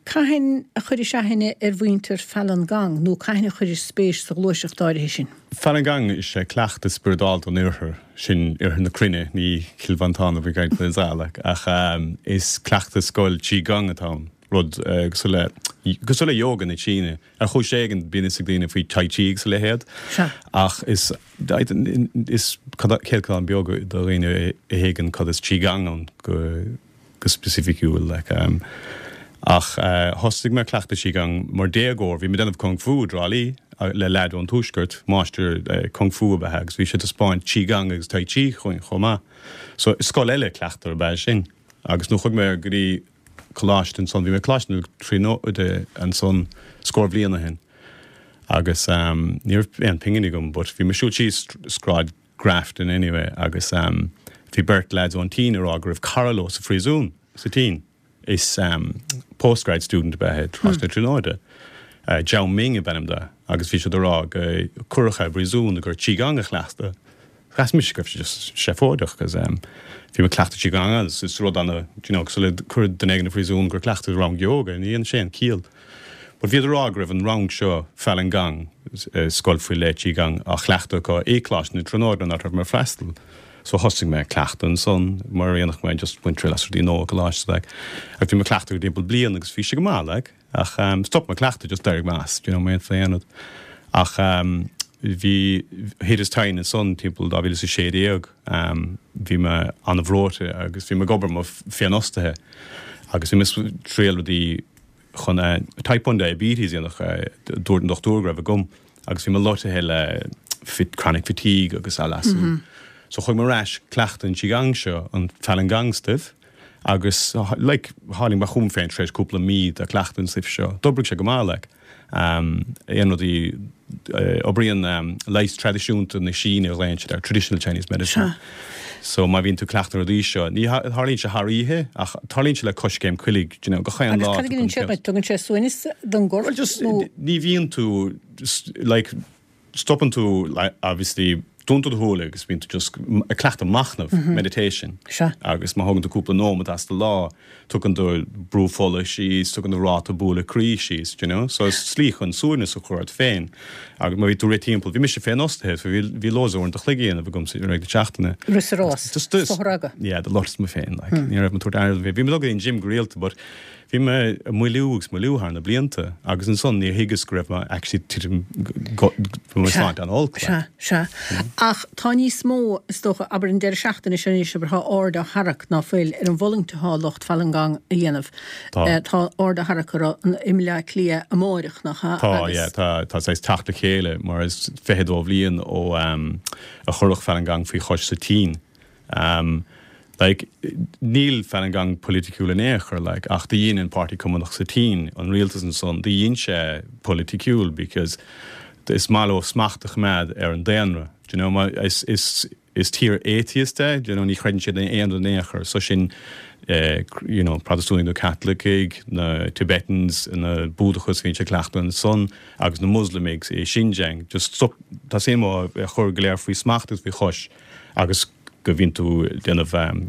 Cathain a chuiris aithne ar mhuintir Falun Gong nó cathain a chuiris spéis sa ghluaiseacht áirithe sin? Falun Gong is ea cleachtadh spioradálta an Oirthir, sin Oirthear na cruinne, ní Cill Mhantáin a bhí ag caint faoi ach is cleachtadh scoil Qi Gong atá ann, rud cosúil le, cosúil le yoga na Síne. Ar chúis éigin bíonn fhios ag daoine faoi Tai Chi agus a leithéid ach is is céatadán beag de dhaoine a thuigeann cad is Qi Gong ann go go specificiúil like. Ach thosaigh mé ag cleachtadh Qi Gong mar déagóir, bhí mé ag déanamh Kung Fu i dTrá Lí le leaid ón Tuaisceart, máistir Kung Fu ab ea é agus bhí sé ag taispeáint Qi Gong agus Tai Chi chugainn chomh maith. So scoil eile cleachtaidh ab ea sin. Agus nuair a chuaigh mé go dtí coláiste ansan, bhí mé ag Coláiste na Tríonóide ansan scór bhliain ó shin agus ní raibh aon phingin agam but bhí mé ag siúl síos Sráid Grafton anyway agus bhí beirt leaids ón tSín ag rá go raibh cara leo sa phríosún sa tSín. Is postgrad student ab ea é, Coláiste na Tríonóide. Zhao Ming ab ainm dó agus bhí siad ag rá go cuireadh é i bpríosún gur Qi Gong a chleachtadh. Mheas mise go raibh sé just seafóideach cos bhí mé ag cleachtadh Qi Gong agus is rud ana, do you know, cosúil le cur duine éigin i phríosún gur cleachtadh rang yoga, ní an sin ciall. But bhíodar ag rá go raibh an rang seo, Falun Gong, scoil faoi leith Qi Gong, á chleachtadh acu i Coláiste na Tríonóide an áit a raibh mé ag freastal. So thosaigh mé ag cleachtadh ansan mar a dhéanfadh mé just baint triail as rudaí nua i gcoláiste like. Agus bhí mé ag cleachtadh go timpeall bliain agus bhí sé go maith like. Ach um, stop mé ag cleachtadh just d'éirigh mé as, do you know, mé aon rud. Ach um, bhí thit tine ansan timpeall dhá mhíle is a sé déag, um, bhí mé an-bhreoite agus bhí mé ag obair mo féinfhostaithe agus bhí mé ag triail rudaí chun type one diabetes a dhéanamh, dúirt an dochtúir go raibh agam, agus bhí mé loitithe le chronic fatigue agus a leasú. So chuaigh mé ar ais cleachtadh an Qigong seo, an Falun Gong stuif, agus like tháinig mé chugam féin tar éis cúpla mí de cleachtadh an stuif seo. D'oibrigh sé go maith like. Aon rudaí oibríonn leigheas traidisiúnta na Síne a ghlaonn siad air, traditional Chinese medicine. So má bhíonn tú ag cleachtadh na rudaí seo, ní tharlaíonn sé thar oíche ach tarlaíonn sé le coiscéim coiligh, do you know, gach aon lá. Agus cad a dhéanann sé duit? Tugann sé suaimhneas don gcorp Well just nó? ní bhíonn tú like stopann tú like obviously dúnann tú do shúile agus bíonn tú just ag cleachtadh machnamh, meditation. Sea. Agus má thógann tú cúpla nóiméad as do lá, tugann do brú fola síos, tugann do ráta bualadh croí síos, do you know. So is slí chun suaimhneas a chur ort féin. Agus má bhí tú rith timpeall, bhí mise féinfhostaithe, so bhí bhí loads uaireanta an chloig a dhéanamh agam i rith na seachtaine. Rith sa rás, Just just sa rogha. Yeah, do loiteas mé féin, like. Ní raibh mé ag tabhairt aire dom féin. Bhí mé ag dul go dtí an gym go rialta, but Bhí mé ag moilliú agus moilliú thar na blianta agus ansan níor thuigeas go raibh mé actually titim go bhí mo Sea, shláinte an-olc sea, like. sea. Ach tá níos mó, is dócha, abair an deireadh seachtaine seo anois, abair, tá aird á tharrac ná fuil ar an bhfulaingt atá lucht Falun Gong a dhéanamh. Tá. Tá aird á tharrac orthu i mBaile Átha Cliath amáireach, nach ea? Tá, Agus. yeah, tá, tá saghas teacht le chéile mar is fiche dó bhliain ó a cuireadh Falun Gong faoi chois sa tSín. Um, like, níl Falun Gong politiciúil in aon chor, like, ach do dhein an Páirtí Cumannach sa tSín, an rialtas ansan, do dhein sé politiciúil because is maith leo smacht a choimeád ar an daonra. Do you know, ma, is, is, is tír atheist é, do you know, ní chreideann siad in aon rud in aon chor. So sin, eh, you know, Protastúnaigh nó Caitlicigh, na Tibetans, na Búdachas bhíonn sé cleachtadh ansan, agus na Muslamaigh i Xinjiang. Just stop, tá suim acu a chur go léir faoi smacht agus faoi chois agus go mbíonn tú ag déanamh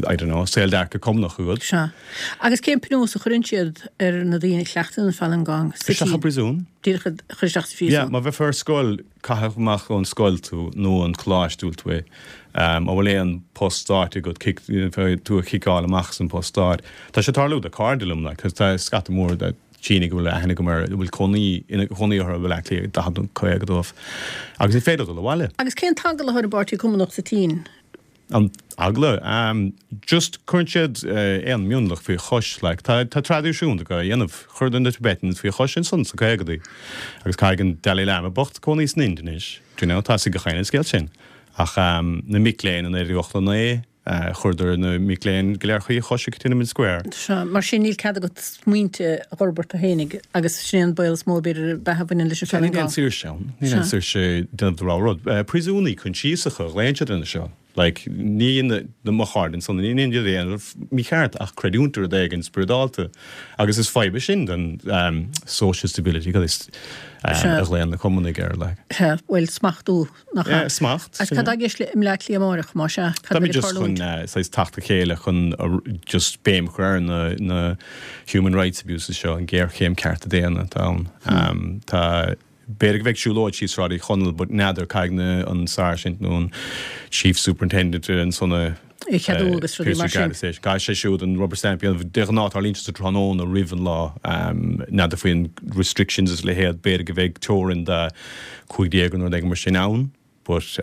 I don't know, saoldearcadh Cumannach agat. Sea. Agus cén pionós a chuireann siad ar na daoine a chleachtann an Falun Gong sa Isteach i tSín? bpríosún. Díreach a chur isteach sa phríosún. Yeah, má bheifeá ar scoil, caitheadh amach ón scoil tú nó an coláiste a bhfuil tú i. Má bhfuil aon post stáit agat, cic, tú a chiceáil amach as an post stáit. Tá sé ag tarlú do cairde liom, like, tá scata mór de Shínigh go bhfuil aithne agam air, a bhfuil cónaí, ina chónaí orthu i Baile Átha Cliath, daichead nó caoga dóibh. Agus ní féidir dul abhaile. Agus cén t-eagla atá ar an bPáirtí Cumannach sa tSín? An eagla? Just cuireann siad aon mionlach faoi chois, like. Tá, tá traidisiún acu á dhéanamh. Chuireadar na Tibetans faoi chois ansan sa caogadaí. Agus caithfidh an Dalai Lama bocht cónaí san Ind anois. Do you know, tá a fhios ag gach éinne an scéal sin. Ach na mic léinn i naoi déag ochtó naoi, Chuireadar na mic léinn go léir faoi chois ag Tiananmen Square. Sea, mar sin níl cead agat smaointe a fhorbairt tú fhéinig agus sin é an baol is mó b'fhéidir ab ea a bhaineann leis an Sea, Falun níl aon Gong. saoirse ann. Níl aon Sea. saoirse déanamh do rogha rud. Príosúnaigh coinsiasacha a ghlaonn siad ar na seo. Like, ní na mo chairde ansan, ní dhéanann siad aon rud mícheart ach creidiúint i rud éigin spioradálta. Agus is fadhb é sin don social stability, cad is a Sea. ghlaonn na Cumannaigh air, like. Sea, bhuel, smachtú, nach ea? Yeah, smacht, Agus sin cad é. tá i gceist le i mBleá Cliath amárach, más ea? Cad a Táimid bheidh ag just chun tarlúint? saghas teacht le chéile chun just béim a chur ar na na human rights abuses seo, an ghéarchéim cearta daonna atá ann. Tá, b'fhéidir go mbeidh siúlóid síos Sráid Uí Chonaill but n'fheadar, caithfidh na an sáirsint nó an chief superintendent ansan a É cheadú agus rudaí mar sin. Caithfidh sé siúd an rubber stamp a dhéanamh. De ghnáth tarlaíonn sé sa tráthnóna roimh an lá. N'fheadar faoin restrictions is a leithéid, b'fhéidir go mbeidh teorainn de cúig déag nó rud éigin mar sin ann but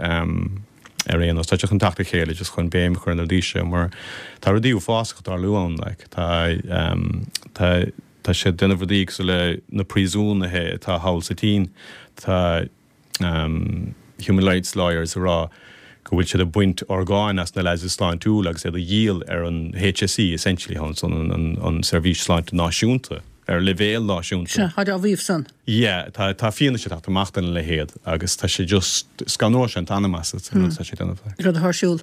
ar aon nós tá sé chun teacht le chéile just chun béim a chur ar na rudaí seo mar tá rudaí uafásacha ag tarlú ann like tá tá tá siad ag déanamh rudaí cosúil le na príosúnaithe atá thall sa tSín tá human rights lawyers ag rá go bhfuil siad ag baint orgáin as na lads is sláintiúla agus iad a dhíol ar an HSE essentially an an an seirbhís sláinte náisiúnta ar leibhéal náisiúnta. Sea, tá á mhaíomh san. Yeah, tá tá fianaise ag teacht amach den leithéid agus tá sé just scanróidh sé an t-anam asat an rud atá sé ag déanamh. Rud atá ar siúl.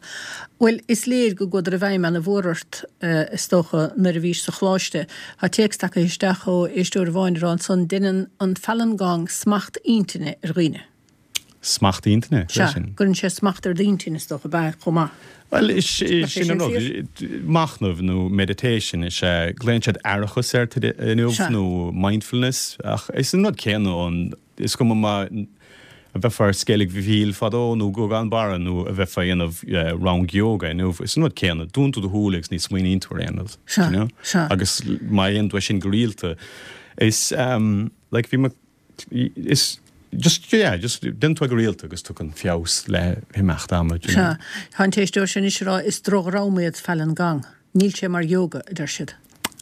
Bhuel, is léir go gcuadar i bhfeidhm ana mhór ort, is dócha, nuair a bhís sa choláiste. Tá téacs tagtha isteach ó éisteoir amháin ag rá ansan, Deineann an Falun Gong smacht intinne ar dhaoine. Smacht intinne? Cad é Sea, sin? gcuireann sé smacht ar d'intinn, is dócha, ab ea, chomh maith. Bhuel, is Nach é sin an sin rud. fíor? Machnamh nó meditation is ea. Glaonn siad aireachas air inniu Sea. nó mindfulness ach is an rud céanna an, is cuma má a bheifeá ar Sceilg Mhichíl fadó nó Guagán Barra nó a bheifeá ag déanamh rang yoga inniu, is an rud céanna. Dúnann tú do shúile agus ní smaoiníonn tú ar aon rud, Sea, you know? sea. Agus má dhéanann tú é sin go rialta, is like bhí mo Is just, yeah, just déanann tú é go rialta agus tugann feabhas le himeacht ama, do you know. Sea. Tá an t-éisteoir sin anois ag rá is drochdhream iad Falun Gong. Níl sé mar yoga, a deir siad.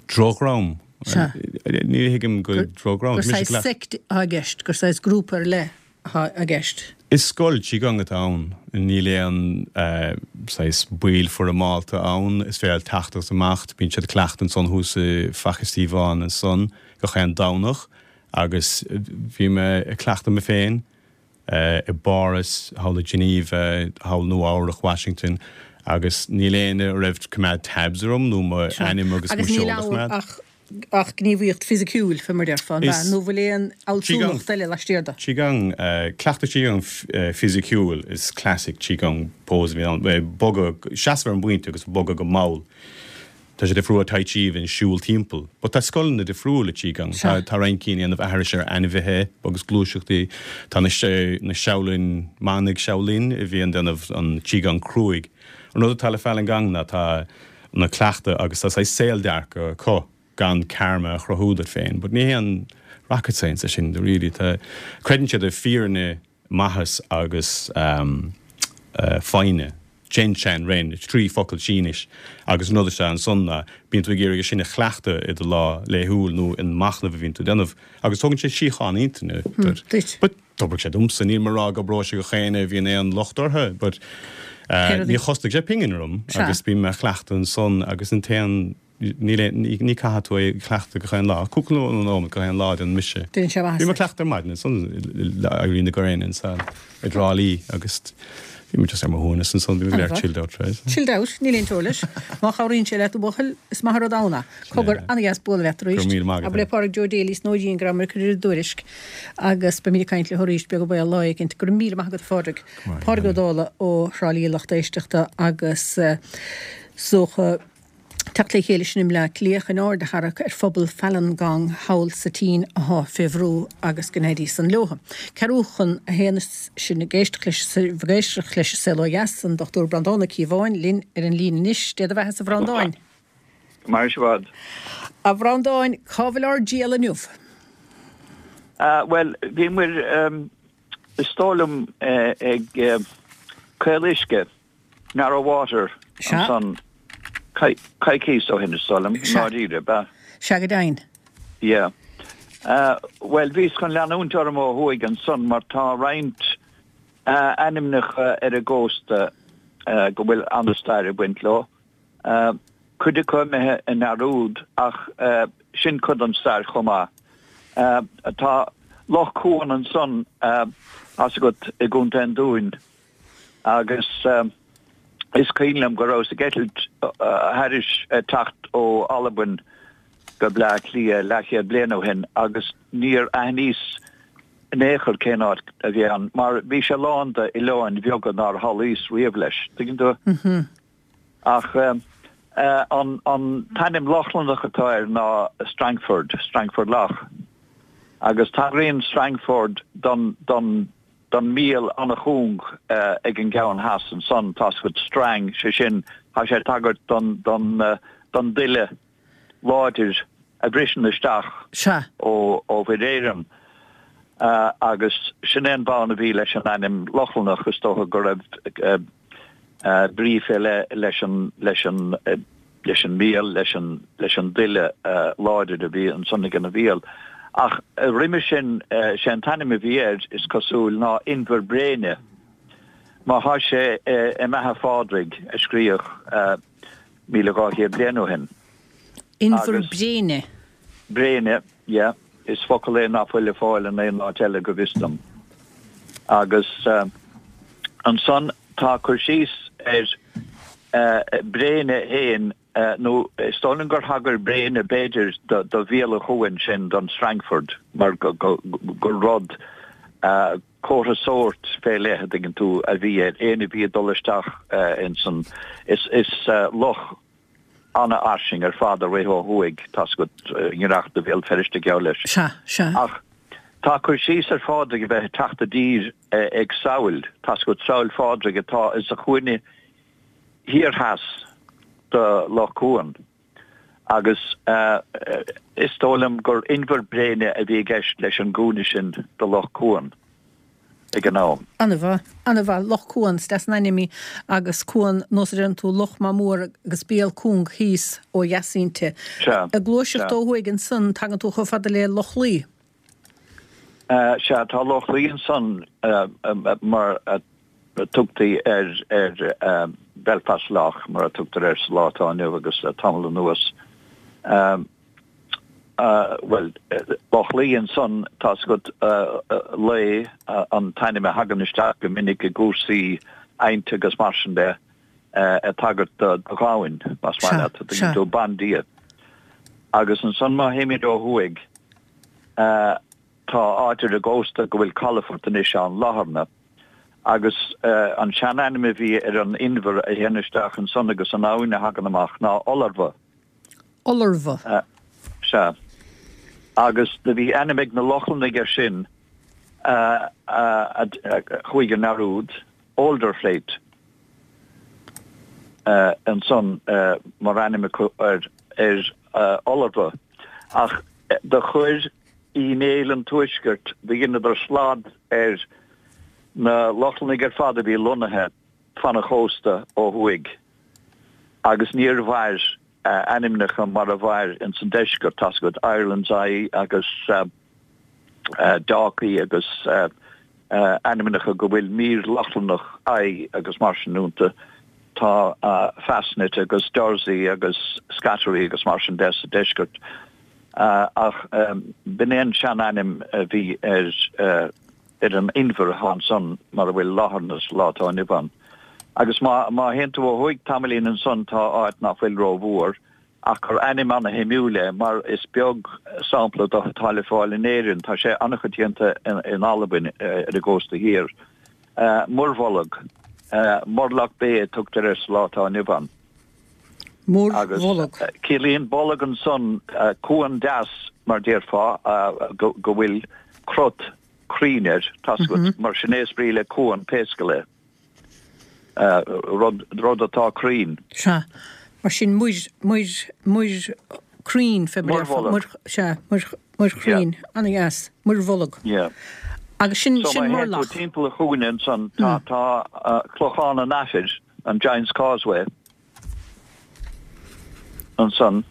Drochdhream? Sea. Ní thuigim go drochdhream. Gur saghas sect atá i gceist, gur saghas grúpa ar leith atá i gceist. Is scoil Qigong atá ann. Níl aon saghas baill foirmeálta ann. Is féidir teacht agus imeacht. Bíonn siad ag cleachtadh ansan thuas i Faiche Stíobháin ansan gach aon Domhnach. Agus bhí mé ag cleachtadh mé féin i bPáras, thall i Geneva, thall Nua Eabhrac, Washington, agus níl éinne a raibh coimeád tabs orm nó mo ainm agus mo Agus níl sheoladh a ann choimeád. ach ach gníomhaíocht fisiciúil, fé mar déarfá, an ea? Is Nó bhfuil aon fhealsúnacht eile laistiar de? Qigong, cleachtadh Qigong fisiciúil is classic Qigong pose a bhíonn ann, bogadh, seasamh ar an bpointe agus bogadh go mall. Tá sé difriúil ó Tai Chi a bhíonn siúl timpeall. But tá scoileanna difriúla Qigong. Sea. Tá roinnt cinn ag déanamh aithris ar ainmhithe agus gluaiseachtaí. Tá na na Shaolin, manaigh Shaolin a bhíonn ag déanamh an Qigong cruaidh. An rud atá le Falun Gong ná tá na cleachtadh agus tá saghas saoldearcadh acu gan karma a chruthú duit féin. But ní haon rocket science é sin really. Tá, creideann siad i fírinne, maitheas agus foighne. Zhen Shan Ren, trí focal Sínis, agus an rud atá ansan ná bíonn tú ag iarraidh é sin a chleachtadh i do lá laethúil nó in machnamh a bhíonn tú ag déanamh agus tógann sé síocháin intinne duit. duit. But d'oibrigh sé domsa, níl mé ag rá go oibreoidh sé do gach éinne a bhíonn aon locht orthu, but níor chosnaigh sé pingin orm agus bím á chleachtadh ansan agus an t-aon Níl aon, ní caithfidh tú é a chleachtadh gach aon lá. Cúpla nóiméad gach aon lá a déanann mise. Déanann sé maitheas Bhí mé duit. ag cleachtadh ar maidin ansan le éirí na gréine ansan i dTrá Lí agus bhí mé just ar mo shuaimhneas ansan, bhí mé go léir chilled out, right? Chilled out, níl aon teora leis. Má chabhraíonn sé leat a bhuachaill, is maith an rud ann é. Cogar, an-dheas bualadh leat Go arís. raibh míle maith agat. Abair le Pádraig Joe Daly is nó Jean go rabhamar ag cur ar an dtuairisc agus beimid ag caint leo arís beag an baol lá éicint. Go raibh míle maith agat a Phádraig. Pádraig Ó Dálaigh ó Thrá Lí a lucht éisteachta agus. Is dócha teacht le chéile sin i mBleá Cliath chun aird a tharrac ar phobal Falun Gong thall sa tSín athá fé bhrú agus go n-éirí san leotha. Ceathrú chun a haon is sinn ag éisteacht leis ag éisteacht leis an Saol Ó Dheas, an Dochtúir Breandán Ó Cíobháin linn ar an líne anois. Dé do bheatha-sa a Bhreandáin. Go maire sibh i bhfad. A Bhreandáin, cá bhfuil ár dtriall inniu? Bhuel, bhíomar, is dóigh liom, ag Caoluisce, Narrow Water, ansan coicís ó shin, is dóigh liom, i ndáiríre, ab ea? Sea, go deimhin. Yeah. Bhuel, bhíos chun leanúint orm ó thuaidh ansan mar tá roinnt ainmneacha ar an gcósta go bhfuil an-stair ag baint leo. Cuid acu imithe i ndearúd ach sin cuid den stair chomh maith. Tá Loch Cuan ansan, tá's agat, i gContae an Dúin agus is cuimhin liom go rabhas ag eitilt thairis ag teacht ó Albain go Bleá Cliath leathchéad bliain ó shin agus níor aithníos in aon chor cén áit a bhí ann mar bhí sé lán d'oileáin bheaga nár shamhlaíos riamh leis, tuigeann tú? Ach an t-ainm Lochlannach atá air ná Strangford, Strangford Lough. Agus tagraíonn Strangford don don don míol an-chúng ag an gceann theas ansan, tá's agat, strang, sé sin, tá sé ag tagairt don don don duille láidir a bhriseann isteach Sea. ó ó Mhuir Éireann. Agus sin é an bonn a bhí leis an ainm Lochlannach, is dócha go raibh brí fé leith leis an, leis an, leis an míol, leis an, leis an duille láidir a bhí ansan ag an mhíol. Ach roimhe sin, sé an t-ainm a bhí air, is cosúil, ná Inbhir Bréine, mar thá sé i mBeatha Phádraig, a scríodh míle dhá chéad bliain ó shin. Inbhir Bréine. Bréine, yeah. Is focal é ná fuil le fáil in aon áit eile go bhfios dom. Agus ansan tá cur síos ar Bréine fhéin, nó is dóigh liom gur thagair Bréine b'fhéidir do Bhéal an Chuain sin, don Strangford, mar gur rud, comhartha sóirt fé leith, a dtuigeann tú, a bhí air, éinne a bhí ag dul isteach insan, is loch an-fhairsing ar fad a rith ó thuaidh, tá's agat, i ngiorracht do Bhéal Feirste, geall leis. Sea, sea. Ach tá cur síos ar Phádraig a bheith ag teacht i dtír ag Sabhail, tá's agat, Sabhail Phádraig atá sa chúinne thiar theas de Loch Cuan. Agus is dóigh liom gur Inbhear Bréine a bhí i gceist leis an gcúinne sin de Loch Cuan ag an am. An-mhaith, an-mhaith. Loch Cuan, is deas an ainm í agus cuan, nós a deireann tú, loch maith mór agus béal cúng thíos ó dheas inti. Sea, Ag gluaiseacht sea. ó thuaidh ansan tagann tú chomh fada le Loch Lao. Sea, tá Loch Lao ansan mar a tugtaí ar ar Belfast Lough, mar a tugtar air sa lá atá inniu agus le tamall anuas. Bhuel, Loch Lao ansan, tá's agat, Lao an t-ainm a thagann isteach go minic i gcúrsaí adhainte agus mar sin de, ag tagairt do ghamhain, más maith leat, tuigeann tú, bandia. Agus ansan má théimid ó thuaidh, tá áit ar an gcósta go bhfuil calafort anois ann, Latharna. Agus an seanainm a bhí ar an inbhear a théann isteach ansan agus an abhainn a thagann amach ná Olarbha. Olarbha. Sea. Agus do bhí ainm ag na Lochlannaigh air sin a chuaigh i ndearúd, Olderflate, ansan mar ainm acu ar Olarbha. Ach do chuir Uí Néill an Tuaiscirt, do dheineadar slad ar na Lochlannaigh ar fad a bhí lonnaithe fan an chósta ó thuaidh agus níor mhair a ainmneacha mar a mhair ins an deisceart, tá's agat, Ireland's Eye agus Dalkey agus ainmneacha go bhfuil mír Lochlannach eye agus mar sin iontu. Tá Fastnet agus Dursey agus Scattery agus mar sin de sa deisceart. Ach b'in é an seanainm a bhí ar ar an inbhear atá ansan mar a bhfuil Latharna sa lá atá inniu ann. Agus má má théann tú ó thuaidh tamaillín ansan tá áit ná fuil rómhór ach gur ainm ana-shuimiúil é mar is beag sampla de atá le fáil in Éirinn, tá sé an-choitianta in Albain ar an gcósta thiar. Muirbholg, Murlough Bay a tugtar air sa lá atá inniu ann. Agus Muirbholg. Ciallaíonn bolg ansan cuan deas mar déarfá go bhfuil crot cruinn air, tá's agat, mar sin é is brí le cuan pé scéal é. Rud rud atá cruinn. Sea. Mar sin muir, muir, muir cruinn fé mar déarfá. Muirbholg. Muir, sea, muir, muir chruinn. Ana-dheas. Muirbholg. Yeah. Agus sin, So sin má théann tú murlach. timpeall an chúinne ansan, tá, tá Clochán an Aifir, an Giant's Causeway, ansan.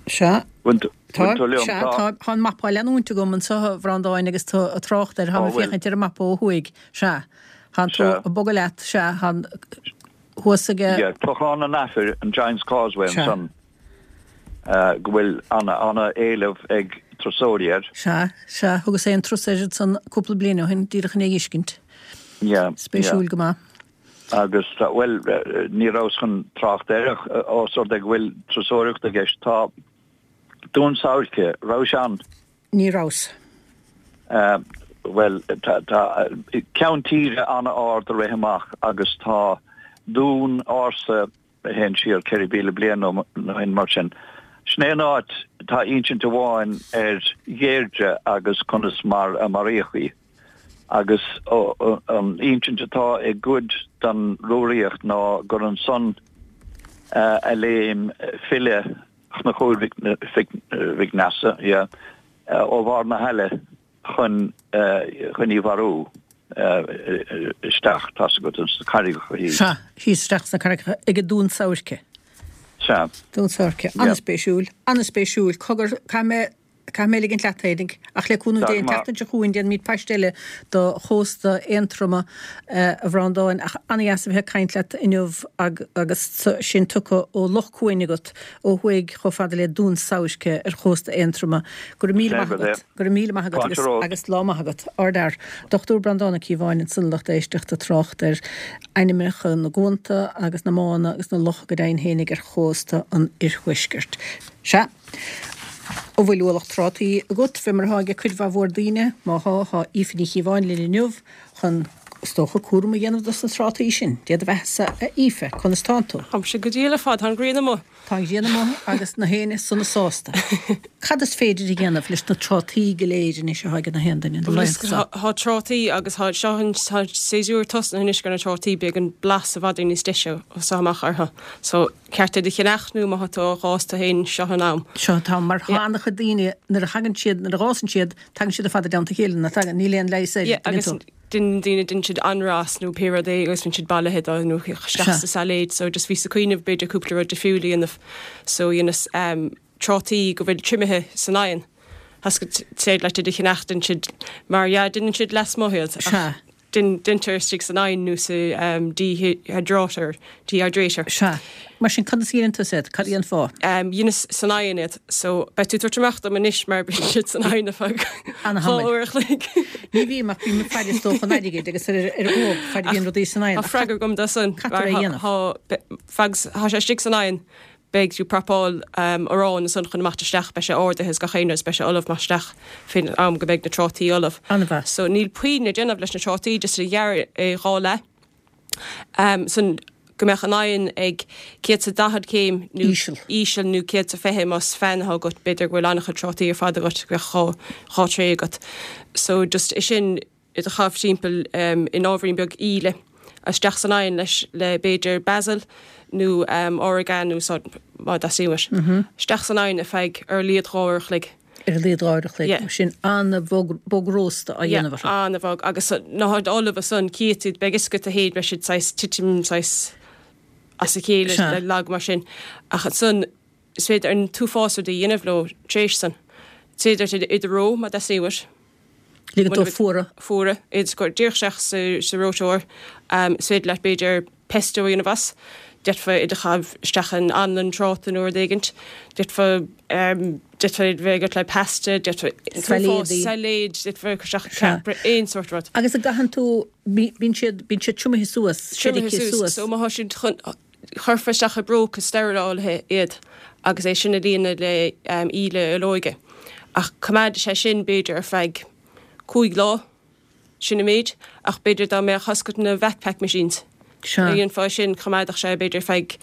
Sea. Bhain Tá, tú liom, sea, tá. tá, tá an mapa á leanúint agam anseo a Bhreandáin agus tá ag trácht air, tá Ó, mé bhfuil. féachaint ar an mapa ó thuaidh, sea. Tá tú Sea. ag bogadh leat, sea, tá thuas aige. Yeah, Clochán an Aifir, an Giant's Causeway Sea. ansan, uh, go bhfuil ana, ana éileamh ag turasóirí air. Sea, sea, thugas aon turas air san cúpla bliain ó shin, díreach chun é a fheiscint. Yeah, Spéisiúil yeah. go maith. Agus, tá, well, eh, ní rabhas chun trácht air ach, eh, ós rud é go bhfuil turasóireacht i gceist, tá Dún Sabhairce, raibh sé ann? Ní rabhas. Uh, well, tá, tá ceann tíre an-ard a rith amach agus tá dún ársa a théann siar ceithre mhíle bliain nó nó shin mar sin. Sin é an áit tá insint amháin ar Dheirdre agus conas mar a maraíodh í. Agus ó, ó, an insint atá i gcuid den Rúraíocht ná gur ansan uh, a léim file Chonchúir Mhic Mhic Nessa, yeah, uh, ó bharr na haille chun uh, chun í mharú uh, isteach tá's agat sna carraigeacha thíos. Sea, thíos isteach sna carraigeacha ag Dún Sabhairce. Sea. Dún Sabhairce. Yeah. An-spéisiúil, an-spéisiúil. Cogar, caithfidh mé caithfidh mé ligint leat féinig, ach le cúnamh Tá Dé go maith. an tseachtain seo chugainn déanfaimid paiste eile do chósta Aontroma eh, a Bhreandáin ach an-dheas a bheith ag caint leat inniu ag, agus sin tugtha ó Loch Cuain agat ó thuaidh chomh fada le Dún Sabhairce ar chósta Aontroma. Go raibh míle maith Sé go agat, go raibh míle maith agat Fáilte agus, romhat. agus lá maith agat. Ardfhear. Dochtúir Breandán Ó Cíobháin ansan lucht éisteachta ag trácht ar ainmneacha na gcuanta agus na mánna agus na locha go deimhin fhéinig ar chósta an iarthuaiscirt. Sea. An bhfuil ualach trátaí agat fé mar atá ag cuid mhór daoine má thá thá Aoife Ní Chíobháin linn inniu chun is dócha cúram a dhéanamh dos na trátaí sin. Dia do bheatha a Aoife, conas tánn tú. Táimse go diail ar fad tá an ghrian amuigh. Tá an ghrian amuigh agus na héinne sona sásta. Cad is féidir a dhéanamh leis na trátaí go léir anois atá ag na haon duine na laethanta seo? Tá trátaí agus tá seo an tá séasúr tosnaithe anois ar na trátaí beidh an blas i bhfad níos deise ó seo amach orthu. So ceart iad a cheannach nó má tá tú á dh'fhás tú féin seo an am. Seo tá mar tá an-chuid daoine nuair a thagann siad nuair a fhásann siad tagann siad ar fad i dteannta a chéile na tagann níl aon leigheas air, Yeah, tuigeann agus tú. den daoine déanann siad anrás nó pé rud é agus bíonn siad bailithe dó nó isteach Sea. sa sailéid, so just bhíos ag cuimhneamh b'fhéidir cúpla rud difriúil a dhéanamh. So dhéanas um, trátaí go bhfuil triomaithe san oigheann. Has go téid le iad a cheannach déanann siad mar yeah, déanann siad lasmuigh iad. Ach Sea. Din dinter istigh san oigheann nó sa um, dehydrator, dehydrator. Sea. Mar sin conas a dhéanann tú iad, cad é an fáth? Um, Dheineas san oigheann iad, so beidh tú tabhairt amach dom anois mar bíonn siad san oigheann ar feadh Ana-thamaill. dhá uair a chloig. Ní bhím ach bím ag faire is dócha an airgid agus ar ar óg fad a bhíonn rudaí san oigheann. Tá freagra agam do san. Caithfear é a dhéanamh. Tá sé istigh san oigheann, beidh tú prapáil um, arán san chun amach isteach beidh sé ardaithe is gach aon rud, beidh sé ullamh amach isteach fén am go mbeidh na trátaí ullamh. An-mhaith. So níl puinn le déanamh leis na trátaí just a ghearradh é dhá leath. Um, san go mbeadh an oigheann ag céad sa daichead céim nó Íseal. íseal nó céad sa fiche más fan atá agat b'fhéidir go bhfuil an-chuid trátaí ar fad agat go mbeadh dhá dhá tray agat. So just é sin iad a chaitheamh timpeall um, in ábhairín beag íle isteach san oigheann leis le b'fhéidir basil nó um, oregano so má theastaíonn. Mm -hmm. Isteach san oigheann ar feadh ar a laghad dhá uair a chloig. Ar a laghad dhá uair a chloig. Yeah. Sin an-bhog rósta á dhéanamh orthu. an-bhog agus ná ullamh san cíad beidh is go a héad beidh siad saghas titim saghas as a chéile Sea. le lag mar sin ach san is féidir an t-uafás rudaí a dhéanamh leo tréis san. Is féidir iad a reo má theastaíonn. Ligean dó fuaradh. Fuaradh iad go díreach sa sa reoiteoir um, is féidir leat b'fhéidir pesto a dhéanamh as. D'fhéadfá iad a chaitheamh isteach in anlann tráta nó rud éigint. D'fhéadfá um, d'fhéadfá bheith agat le pasta, d'fhéadfá Sailéidí. sailéid, d'fhéadfá cur isteach Sea. ceap- aon sórt rud. Agus a gcaitheann tú bíonn siad bíonn siad triomaithe suas, Triomaithe siad suas. So má thá siad chun chuirfeá isteach i bpróca steireáilte iad agus é sin a líonadh le um, íle olóige. Ach coimeádfaidh sé sin b'fhéidir ar feadh cúig lá sin an méid, ach b'fhéidir dá mbeadh agat na VacPak machines. Sea. Dhéanfá sin choimeádfadh sé b'fhéidir feadh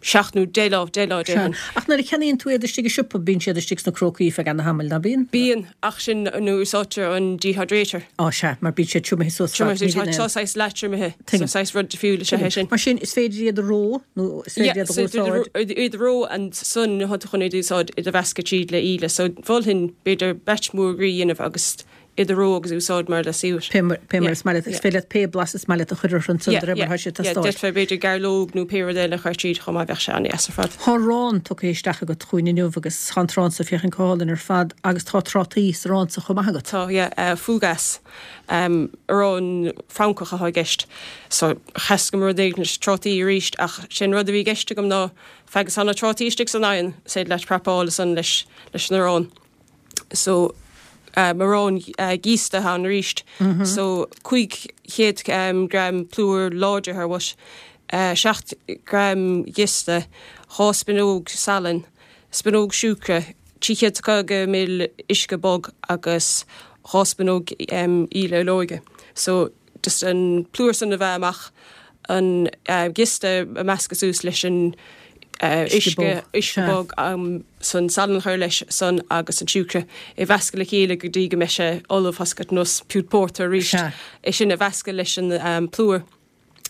seacht nó deich lá, deich lá déarfainn. Ach nuair a cheannaíonn tú iad istigh i siopa, bíonn siad istigh sna crócaí feadh ana-thamaill, ná bíonn? Bíonn, ach sin nuair úsáidtear an dehydrator. Á sea, mar bíonn siad triomaithe suas fad, ní bhíonn aon. Tá saghas leath-triomaithe, so saghas rud difriúil is ea é sin. Mar sin, is féidir iad a reo, nó is féidir iad a úsáid. Iad a reo ansan nuair atá tú chun iad a úsáid, iad a mheascadh tríd le íle. So mholfainn b'fhéidir batch mór groí a dhéanamh agus iad a reo agus a úsáid mar leasaoir. Pé mar is maith leat. Is féidir leat pé blas is maith leat a chur orthu ansan de réir mar atá sé ag teastáil. D'fhéadfá b'fhéidir gairleog nó pé rud eile a chur tríd chomh maith, bheadh sé an-deas ar fad. Tá arán tugtha isteach agat chugainn inniu agus tá an t-arán so féachaint go hálainn ar fad agus tá trátaí sa arán so chomh maith agat. Tá, yeah. Fougasse. Arán Francach atá i gceist. So sheas go rud éigin leis trátaí arís ach sé'n rud a bhí i gceist agam ná feadh is tá na trátaí istigh san oigheann, is féidir leat prapáil ansan leis an arán. So arán giosta atá ann arís. So cúig chéad gram plúr láidir thar bhus, seacht gram giosta, dhá spionóg salainn, spionóg siúcra, trí chéad is caoga ml uisce bog agus dhá spionóg íle olóige. So just an plúr san a mheá amach, an giosta a meascadh suas leis an uisce, uisce bog san salann a chur leis san agus an siúcra é mheascadh le chéile go dtí go mbeidh sé ullamh tá a fhios agat nós piúit pórtair arís. É sin a mheascadh leis an plúr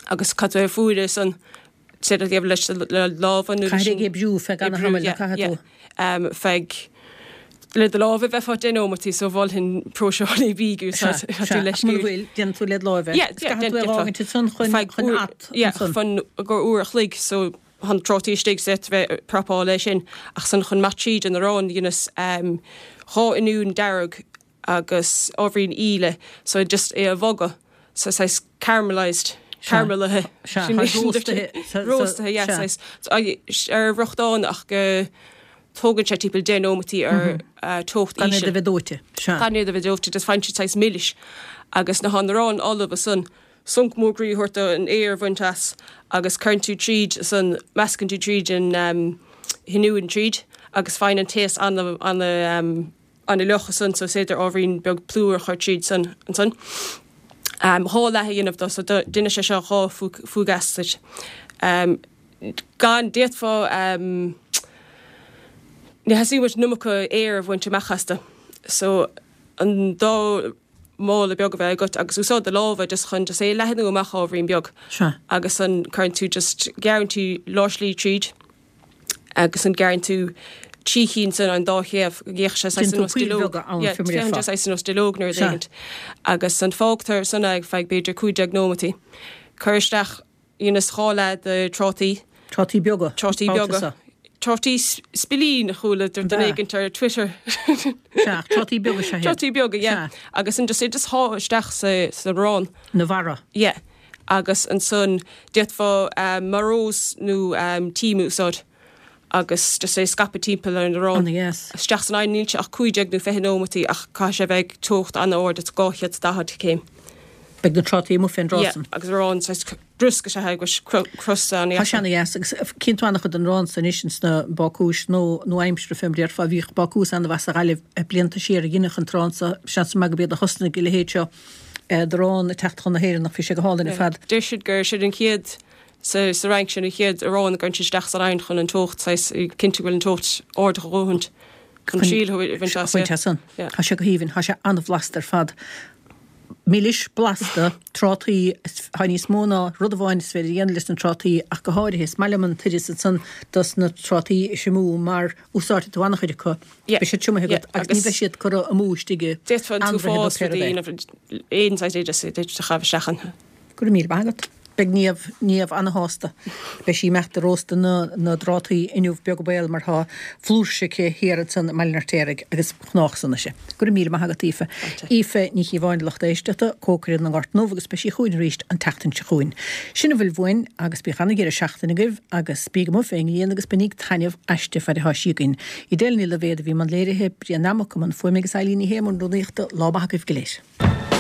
agus caithfidh tú é a fuaradh san leis le lámha nó Caithfidh ag oibriú feadh ana-thamaill, caithfidh tú. Feadh le do lámha bheifeá deich nóimeataí so mholfainn próiseálaí bídh úsáid tú leis. Mura bhfuil, déanann tú led láimh é. Yeah, yeah, Caithfidh tú é a fhágaint ansan chun chun at ansan. Chun gur uair a chloig so tá na trátaí istigh so d'fhéadfá bheith ag prapáil é sin ach san chun imeacht tríd an arán dheineas dhá oinniún dearg agus ábhairín íle so just é a bhogadh so saghas caramelised caramelaithe róstaithe yeah saghas ar fhriochtán ach go tógann sé timpeall deich nóimeataí ar teocht íseal. Gan iad a bheith dóite. Gan iad a bheith dóite just faigheann siad saghas milis agus nuair atá an arán ullamh ansan sonc mór groí a thabhairt dó an aer a bhaint as agus cuireann tú tríd san meascann tú tríd an oinniún tríd agus faigheann an taos ana ana ana-fhliuch ansan so is féidir ábhairín beag plúir a chur tríd san ansan. Dhá leath a dhéanamh dó so déanfaidh sé seo dhá fougasse duit. Gan d'fhéadfá ní theastaíonn uait an iomarca aeir a bhaint amach astu so an dá mála beag a bheith agat agus úsáid do lámha just chun just é a leathnú amach ábhairín beag. Sea. Agus an cuireann tú just gearrann tú lár slí tríd agus an gearrann tú trí chinn san an dá thaobh go bhféachann sé saghas Déanann tú ar nós poill duilleog. bheaga ann, Yeah, fé mar a féachann déarfá. sé saghas ar nós duilleog nó rud Sea. éigint. Agus an fágtar san é feadh b'fhéidir cúig déag nóimeataí. Cuir isteach dheineas dhá leath de trátaí. Trátaí beaga. Trátaí Babhta beaga. seo. Trátaí spillín a chuala duine Ba. éigint ar Twitter. Sea, trátaí beaga sea. Trátaí beaga, yeah. Sea. Agus an just é just shá isteach sa, sa arán. Na bharra. Yeah. Agus ansan d'fhéadfá um, marós nó um, tím a úsáid agus just é scaipeadh timpeall ar an arán. Ana-dheas. Isteach san oigheann níl sé ach cúig déag nó fiche nóimeataí ach caithfidh sé bheith ag teocht an-ard, it's dhá chéad is daichead céim. Beidh na trátaí amuigh fén dtráth san. Yeah, agus arán saghas briosca is ea agus crosta Tá an-dheas. sé ana-dheas agus cíonn tú an-chuid den arán san anois ins na bácúis nó nó aimsire fé mar a déarfá. Bhíodh bácús an-mhaith sa Ghaillimh blianta siar a dheineadh an t-arán so. Seans maith gurb iad a thosnaigh a leithéid seo d'arán ag teacht chun na hÉireann ach bhí sé go hálainn ar fad. Deir siad gur sin an chéad sa sa Fhrainc sin an chéad arán a gcuireann siad isteach san oigheann chun an teocht saghas cinntiú go bhfuil an teocht ard a dhóthaint chun triail a bhaint as. Bhaint as san. Yeah. Tá sé go haoibhinn, tá sé an-bhlasta ar fad. Milis, blasta, trátaí, tá níos mó ná rud amháin is féidir a dhéanamh leis na trátaí ach go háirithe is maith liom an t-oideas ansan dos na trátaí a thriomú mar úsáidfidh tú an-chuid acu. Yeah. Beidh siad triomaithe agat Yeah, agus ní agus bheidh siad curtha amú istigh i D'fhéadfá an ainmhithe nó t-uafás pé rud rudaí é. a dhéanamh aon saghas oideas a d'fhéadfadh a chaitheamh isteach ann. Go raibh míle maith agat. Beidh Niamh, Niamh ana-shásta. Beidh sí ag imeacht ag róstadh na, na dtrátaí inniu beag an baol mar tá flúirse aici thiar ansan i mBaile an Fheirtéaraigh agus gnách san ise. Go raibh míle maith agat Aoife. Aoife Ní Chíobháin lucht éisteachta, cócaire na nGort nDubh agus beidh sí chugainn arís an tseachtain seo chugainn. Sin a bhfuil uainn agus bíodh ana-dheireadh seachtaine agaibh agus bíg amuigh fén ngrian agus bainíg taitneamh aisti fad atá sí againn. Edel Ní Loibhéad a bhí i mbun léirithe, Brian Nammock i mbun fuaime agus Eileen Ní Shé i mbun rúnaíochta, lá maith agaibh go léir.